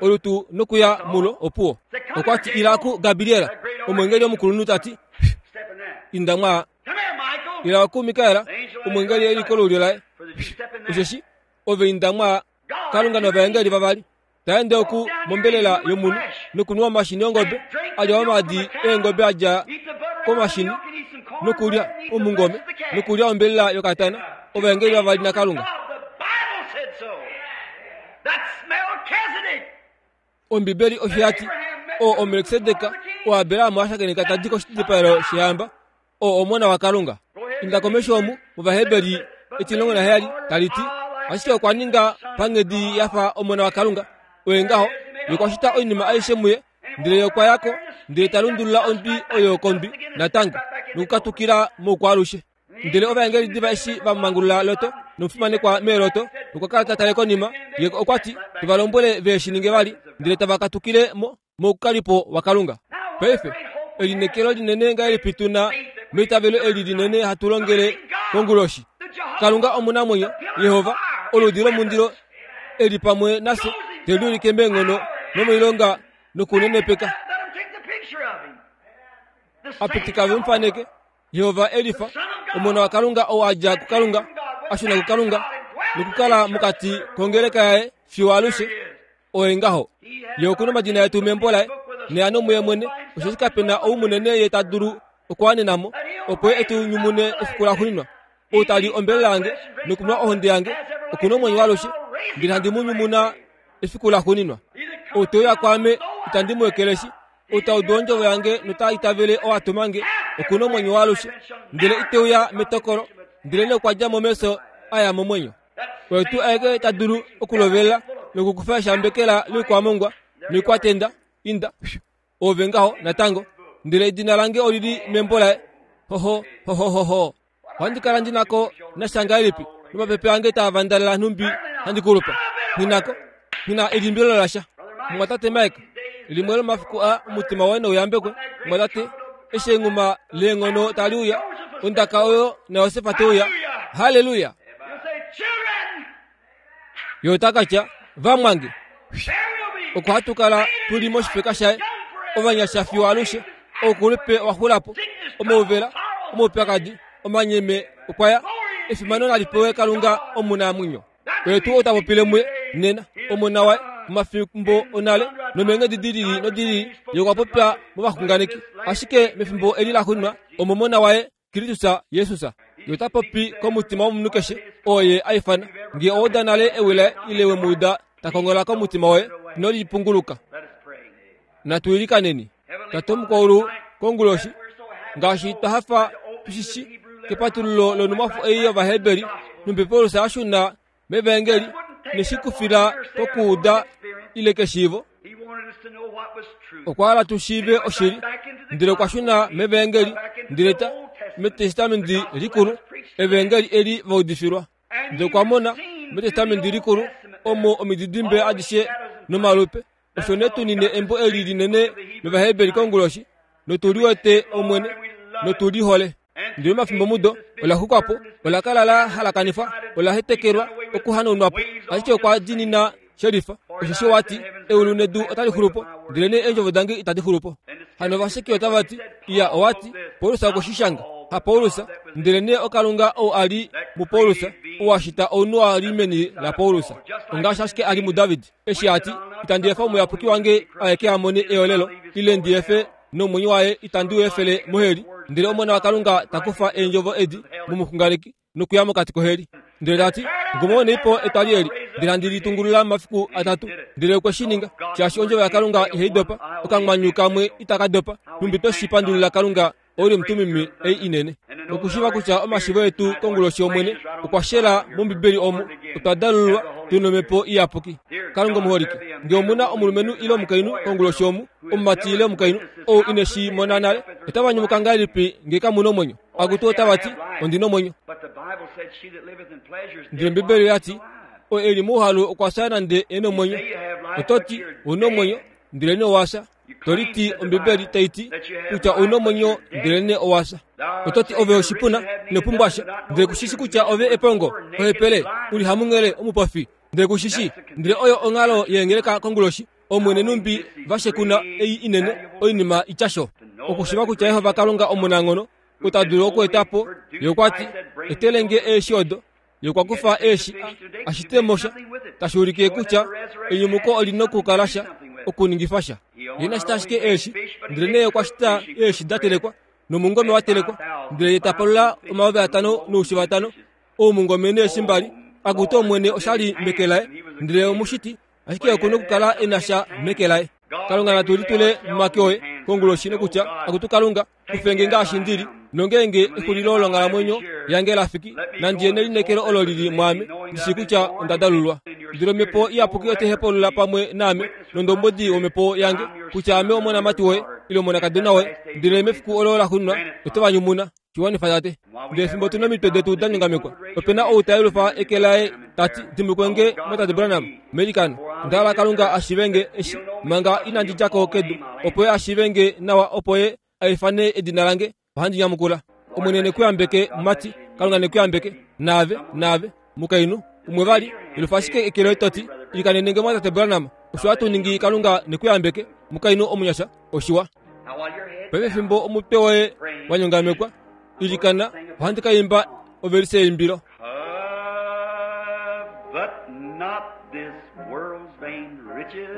olutu nokuya mulo opuwo okwa ti ila ku gabriela omwengeli omukulunhu ta ti inda mwa ila ku mikaela omwengeli e li kolulyo laye osheshi ove inda mwa kalunga novaengeli vavali ta ende oku mombelela yomunhu nokunwa omashini ongobe a lya omaadi eengobe a dja komashini nokulya omungome nokulya ombelela yokatana ovaengeli vavali nakalunga Ombibeli osho ya ti, Oo oMelkisedek, oo Abraham a shakeneka ta di koshidipayelo shehamba, oo Omona waKalunga. Inda komesho omu, mOvaheberi 17, tali ti, Ashike okwa ninga panghedi ya fa Omona waKalunga. Oye ngaho, Ye okwa shita oinima aishe muye, ndele Ye okwa ya ko, ndele ta lundulula ondwi oyo kondwi natango, nokukatukila moukwaalushe. Ndele ovaengeli diva eshi va mangulula Lot nomufimanekwa meeLot, okwa kala ta tale konima, ye okwa ti, Tu va lombwele ve shi ninge vali, ndele tava katukile mo moukalipo waKalunga. Paife, elineekelo linene ngahelipi tu na meitavelo eli linene hatu longele konguloshi! Kalunga omunamwenyo, Jehova, oludi lomundilo e li pamwe nafye, te liulike meenghono nomoilonga nokunenepeka. A pitika ve mu faneke. Jehova e lifa, Omona waKalunga ou a dja kuKalunga, a shuna kuKalunga, nokukala mokati kongeleka yaye fiyo alushe. Oye ngaho. Ye oku na omadina etu membo laye, neano muye mwene, osheshi kape na ou munene ye ta dulu okuwanena mo, opo ye e tu nyumune efiku laxuuninwa. Ou ta li ombelela yange nokunwa ohonde yange, oku na omwenyo waalushe, ndele handi mu nyumuna efiku laxuuninwa. Ou te uya kwaame, itandi mu ekeleshi. Ou ta udu ondjovo yange nota itavele oo a tuma nge, oku na omwenyo waalushe, ndele ite uya metokolo, ndelenee okwa dja mo mefyo a ya momwenyo. Oye tuu aeke ta dulu okulovelela nokukufa eshambekela loikwamongwa noikwatenda, inda, oove ngaho natango, ndele edina lange oli li membo laye. Hoho, hoho, hoho. Ohandi kala ndi na ko nasha ngahelipi nomapepe ange taa vandalela nhumbi handi kulupa? Nghi na ko. Nghi na elimbilo lasha. Mumwatate Mike, limwe lomafiku a omutima woye nouyambekwe, mumwatate, eshi enghuma leenghono tali uya, ondaka oyo naJosef te uya. Halleluya! Ye ota ka tya, Vamwange, oko hatu kala tu li moshifeka shaye, ovanyasha fiyo alushe, oukulupe owa xula po, omauvela, omaupyakadi, omanyeme okwa ya, efimano nali pewe Kalunga omunamwenyo. Oye tuu ou ta popile muye nena, Omona waye, momafimbo onale nomeenghedi di lili nodi lili, Ye okwa popya movaxunganeki, ashike mefimbo eli laxuuninwa omOmona waye Kristus Jesus. Ye ota popi komutima womunhu keshe oo ye a ifana. Ngee owa uda nale ewi laye ile we mu uda ta kongola komutima woye, ino lipunguluka. Natu ilikaneni. Tate womukwaulu, konguloshi, ngaashi twa hafa tu shi shi kepatululo lonhumwafo ei yOvaheberi, nhumbi Paulus a shuna mevaengeli neshikufila kokuuda ile keshiivo. Okwa hala tu shiive oshili, ndele okwa shuna mevaengeli, ndele ta metestamenti likulu, evaengeli eli va udifilwa. Ndele okwa mona metestamenti likulu omo omididimbe adishe nomalupe. Osho ne tu nine embo eli linene lOvaheberi konguloshi, notu liwete Omwene, notu li hole. Ndele omafimbomudo ola xukwa po, ola kala la halakanifwa, ola hetekelwa okuhanaunwa po, ashike okwa diinina shelifa, osheshi owa ti, Eulu nedu otali xulu po, ndelenee eendjovo dange itadi xulu po. Hano ovasheki otava ti, Iya, owa ti, Paulus okwe shi shanga. HaPaulus, ndelenee oKalunga ou a li muPaulus, ou a shita ounhu a li meni laPaulus, ongaashi ashike a li muDavid, eshi a ti, Itandi efa omuyapuki wange aeke a mone eolelo, ile ndi efe. Nomwenyo waye itandi u efele moheli. Ndele Omona waKalunga ta kufa eendjovo edi momuxunganeki nokuya mokati koheli. Ndele ta ti, Ngumaunei po etwali eli, ndele handi li tungulula momafiku atatu. Ndele okwe shi ninga, shaashi ondjovo yaKalunga ihai dopa, okamwanyu kamwe itaka dopa, nhumbi twe shi pandulila Kalunga Ouli omutumimi ei inene. Nokushiiva kutya omashivo etu konguloshi Omwene okwa shela mOmbibeli omu, otwa dalululwa tu nOmhepo Iyapuki. Kalunga omuholike, nge omu na omulumenhu ile omukainhu konguloshi omu, omumati ile omukainhu, ou ine shi mona nale, otava nyumuka ngahelipi nge kamu na omwenyo? Akutu otava ti, Ondi na omwenyo. Ndele Ombibeli oya ti, Oo e li mouhalu okwa fya nande e na omwenyo. Oto ti, ou na omwenyo, ndelenee owa fya. To liti Ombibeli tai ti kutya ou na omwenyo ndelenee owa fya. Oto ti ove oshipuna, ino pumbwa sha, ndele ku shi shi kutya ove epongo, ohepele, u li hamunghele, omupofi, ndele ku shi shi. Ndele oyo onghalo yeengeleka konguloshi, Omwene numbi va shekuna ei inene, oinima i tya sho. Okushiiva kutya Jehova Kalunga omunanghono, ou ta dulu okueta po, Ye okwa ti, Etele nge eeshi odo. Ye okwa kufa eeshi a, a shite mo sha, tashi ulike kutya enyumuko oli nokukala sha, okuningifa sha. Ye ina shita ashike eeshi, ndelenee okwa shita eeshi da telekwa, nomungome wa telekwa, ndele ye ta palula 5000 noushi vatano, oumungome neeshi mbali. Akutu Omwene, osha li meke laye, ndele omushiti ashike oku nokukala e na sha meke laye. Kalunga natu litule momake oye konguloshi nokutya, Akutu Kalunga, kufe nge ngaashi ndi li, nongeenge exulilo longhalamwenyo yange la fiki, nandi ye nelineekelo olo li li mwaame, ndi shii kutya onda dalulwa. Ndele Omhepo Iyapuki otai hepaulula pamwe naame, nondombwedi wOmhepo yange, kutya ame omonamati woye, ile omonakadona woye, ndele mefiku olo laxuuninwa oto va nyumuna. Shi wanifa, Tate. Ndele fimbo tu nomitwe detu da nyongamekwa, ope na ou ta yelufa eke laye ta ti, Dimbulukwe nge, Mwatate Branham, meilikano. Onda hala Kalunga a shiive nge eshi, manga inandi dja ko kedu, opo Ye a shiive nge nawa opo Ye a ifane edina lange. Ohandi nyamukula. Omwene ne ku yambeke, mumati. Kalunga ne ku yambeke. Naave, naave, mukainhu. Umwe vali, yelufa ashike eke loye to ti, Ilikanene nge, Mwatate Branham. Osho hatu ningi. Kalunga ne ku yambeke, mukainhu omunyasha. Oshiwa. Paife fimbo omutwe woye wa nyongamekwa, ilikana, ohandi ka imba ovelise yeimbilo. But not this world's vain riches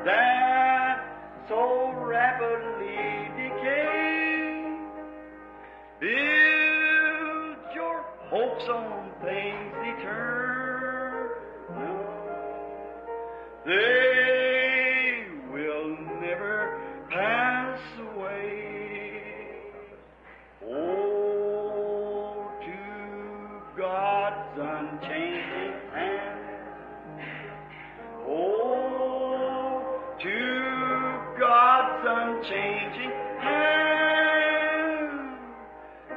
that so rapidly decay. Build your hopes on things eternal. They will never pass away. Oh, to God's unchanging hand. Oh, to God's unchanging hand.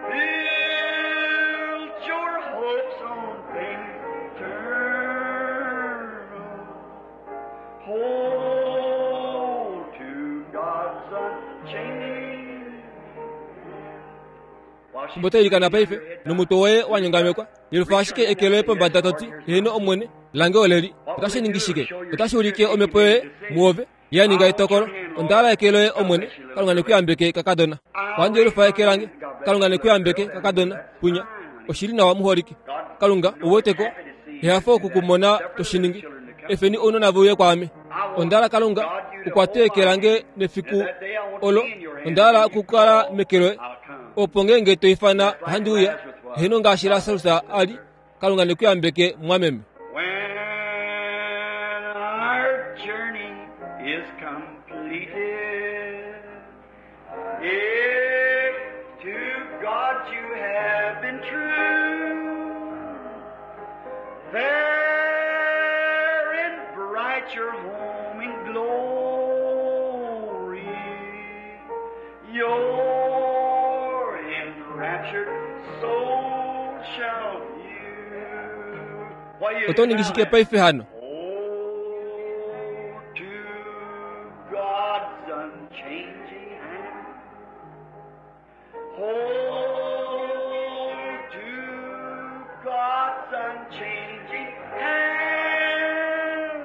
Build your hopes on things eternal. Hold to God's unchanging hand. Fimbo to ilikana paife, nomutwe woye wa nyongamekwa, yelufa ashike eke loye pombada to ti, Heeno, Omwene, lange oleli. Otashi ningi shike? Otashi ulike omhepo yoye muove ya ninga etokolo. Onda hala eke loye, Omwene. Kalunga ne ku yambeke, kakadona. Ohandi yelufa eke lange. Kalunga ne ku yambeke, kakadona. Punya. Oshi li nawa, muholike. Kalunga, ou wete ko, ehafo oku ku mona to shi ningi. Efeni ounona ve uye kwaame. Onda hala Kalunga, u kwate eke lange nefiku olo. Onda hala okukala meke loye, opo ngeenge to ifana ohandi uya. Heeno, ngaashi Lasarus a li. Kalunga ne ku yambeke, mwameme. When our journey is completed, if to God you have been true, fair and bright your home in glory, your enraptured soul shall view. What you Oto ningi shike paife hano? Oh, to God's unchanging hand. Hold to God's unchanging hand.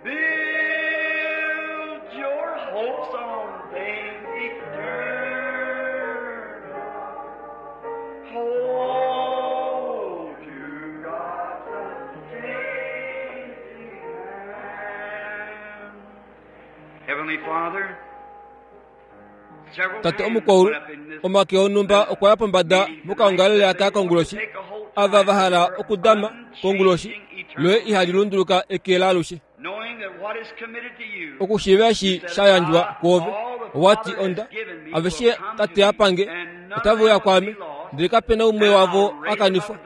Build your hopes on things eternal. Hold to God's unchanging hand. Tate omukwaulu, omake onhumba okwa ya pombada mokaongalele aka konguloshi, ava va hala okudama konguloshi loye ihali lunduluka eke laalushe. Okushiiva eshi sha yandjwa kwoove, owa ti onda, aveshe Tate a pange, otave uya kwaame, ndele kape na umwe wavo a kanifwa,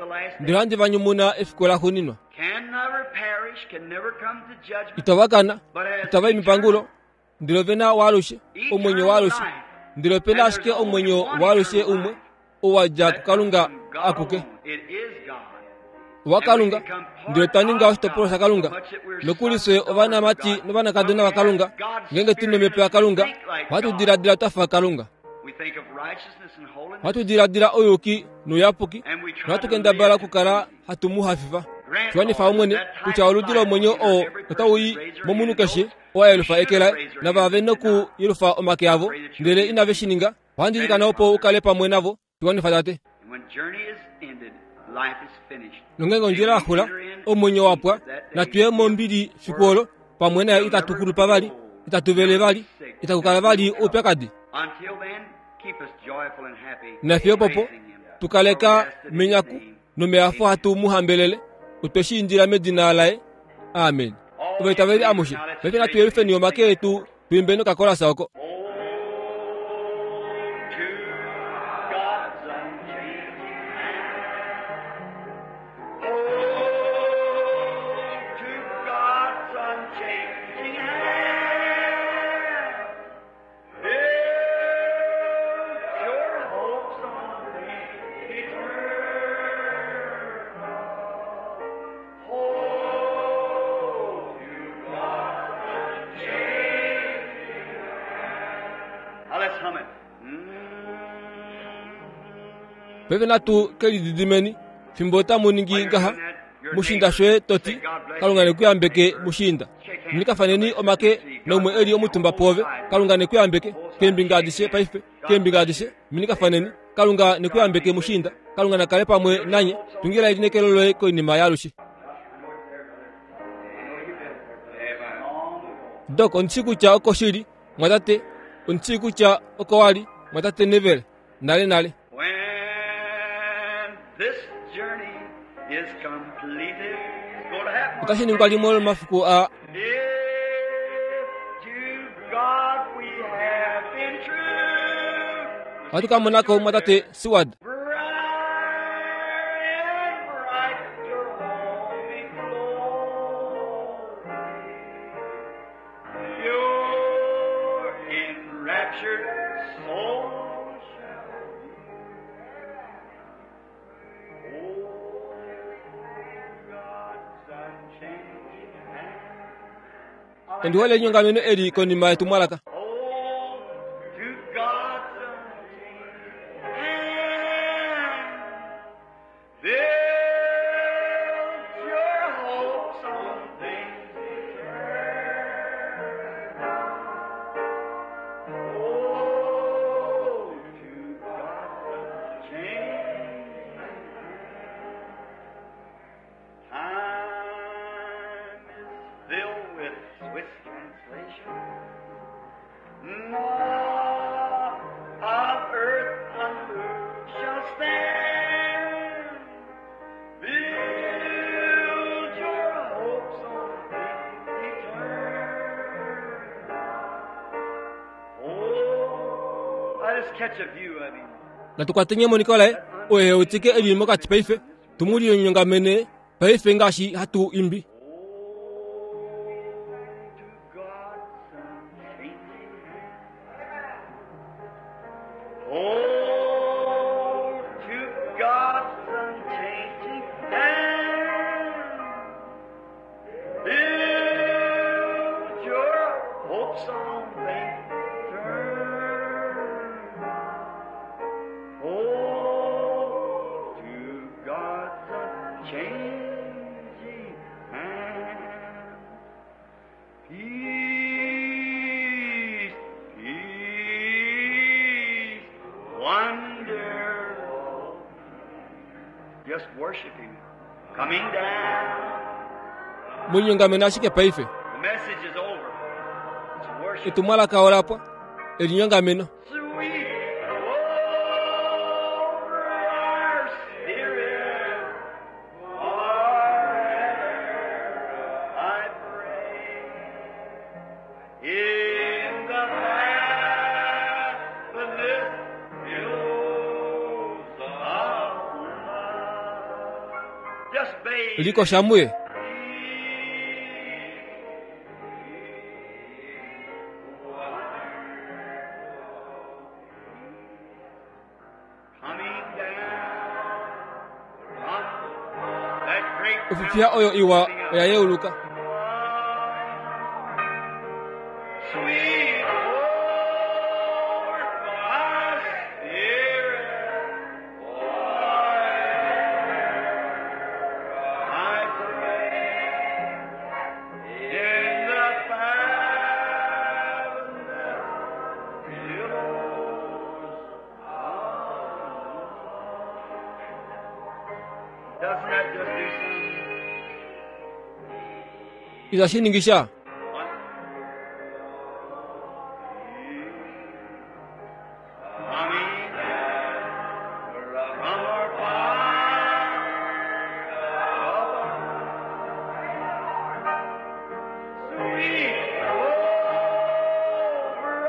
ndele ohandi va nyumuna efiku laxuuninwa. Itava kana, itava i mepangulo, ndele ove na waalushe, omwenyo waalushe. Ndele ope na ashike omwenyo waalushe umwe, oo wa dja kuKalunga akuke. OwaKalunga, ndele twa ninga oshitopolwa shaKalunga. Nokuli fye ovanamati novanakadona vaKalunga, ngeenge tu nomhepo yaKalunga, ohatu diladila twa fa Kalunga. Ohatu diladila ouyuki nouyapuki, nohatu kendabala okukala hatu mu hafifa. Shiwanifa Omwene kutya oludi lomwenyo oo otau i momunhu keshe oo a yelufa eke laye, nava ve noku yelufa omake avo, ndele inave shi ninga. Ohandi ilikana opo u kale pamwe navo. Shiwanifa Tate. Nongeenge ondjila ya xula, omwenyo wa pwa, natu ye mombili fiku olo, pamwe naye itatu kulupa vali, itatu vele vali, itaku kala vali oupyakadi. Nafiyo opopo, tu kaleka menyaku nomehafo hatu mu hambelele, otwe shi indila medina laye. Amen. Ovaitaveli amushe, paife natu yelufeni omake etu tu imbeni okakolasa oko. Paife natu ke lididimeni fimbo tamu ningi ngaha. Mushiinda shoye to ti, Kalunga ne ku yambeke mushiinda. Minikafaneni omake naumwe e li omutumba pwoove. Kalunga ne ku yambeke keembinga adishe paife, keembinga adishe. Minikafaneni. Kalunga ne ku yambeke mushiinda. Kalunga na kale pamwe nanye. Tungila elineekelo loye koinima yaalushe. Dok, ondi shii kutya oko shi li, mwatate. Ondi shii kutya oko wa li, mwatate Neville, nalenale. Otashi ningwa limwe lomomafiku aa. Ohatu ka mona ko mumwatate Seward. Ondi hole enyongameno eli konima yetumwalaka. Natu kwateni emoniko laye oye e wetike e li mokati paife, tu mu linyongamene paife ngaashi hatu imbi. Mu linyongamene ashike paife. Etumwalaka ola pwa. Elinyongameno. Sweet over our spirit forever, I pray. In the faithfulness billows of love. Just bathe. Likosha muye. Coming down from that great Ofifiya oyo iwa oya yeuluka. Sweet over my spirit, forever I pray. In the fathomless billows of love. Doesn't that just do something? Itashi ningisha. What? Coming down from our Father above. Sweet over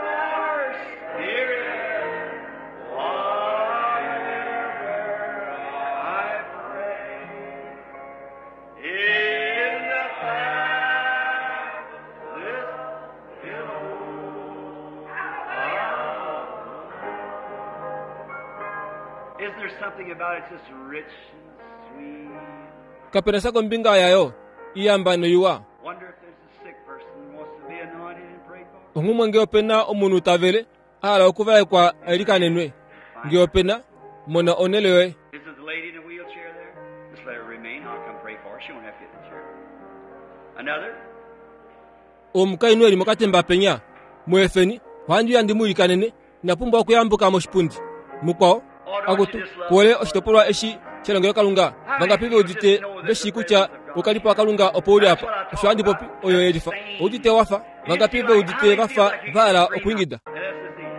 our spirit, forever I pray. In the fathomless billows of Isn't there something about it just rich and sweet? Kapena sa kombinga yayo. Iyamba noiwa. Wonder if there's a sick person who wants to be anointed and prayed for. Onghumwe nge opena omunhu tavele a hala okuvaekwa elikanenwe. Nge opena, mona onhele yoye. Is it the lady in the wheelchair there? Just let her remain. I'll come pray for her. She won't have to get in the chair. Another? Omukainhu eli mokatemba penya. Muefeni, ohandi uya ndi mu ilikanene, ina pumbwa okuyambuka moshipundi. Mukwao, akutu, kuole oshitopolwa eshi shelongelokalunga. Vangapi ve udite ve shii kutya oukalipo waKalunga opo uli apa? Osho handi popi, oyo yelifa. Oudite wafa? Vangapi ve udite vafa va hala okwiingida? And that's the thing.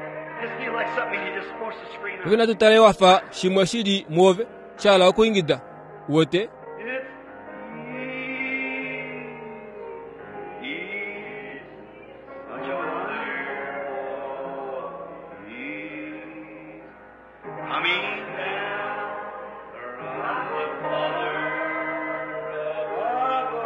Just feel like something you're just supposed to scream out. Paife natu tale wafa shimwe shili muove, sha hala okwiingida. Uwete? It's ease, such a wonderful ease, coming down from the Father above.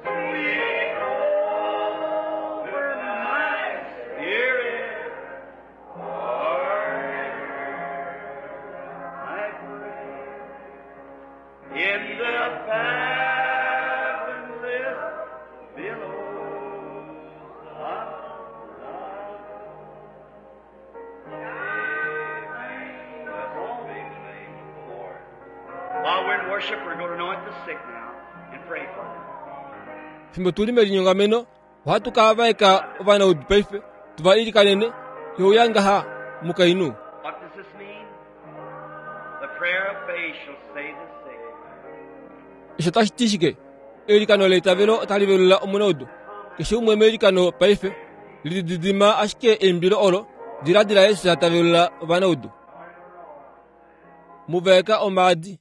Sweet over my spirit, forever I pray. In the fathomless billows of love. Amen. Blessed be the name of the Lord. While we're in worship, we're going to anoint the sick now and pray for them. Fimbo tuli melinyongameno, ohatu ka vaeka ovanaudu paife, tuva ilikanene, euya ngaha mukainhu. What does this mean? The prayer of faith shall save the sick. Osho otashi ti shike? Eilikano leitavelo otali velula omunaudu. Keshe umwe meilikano paife, lididima ashike eimbilo olo, diladila Jesus ta velula ovanaudu. Muvaeka omaadi.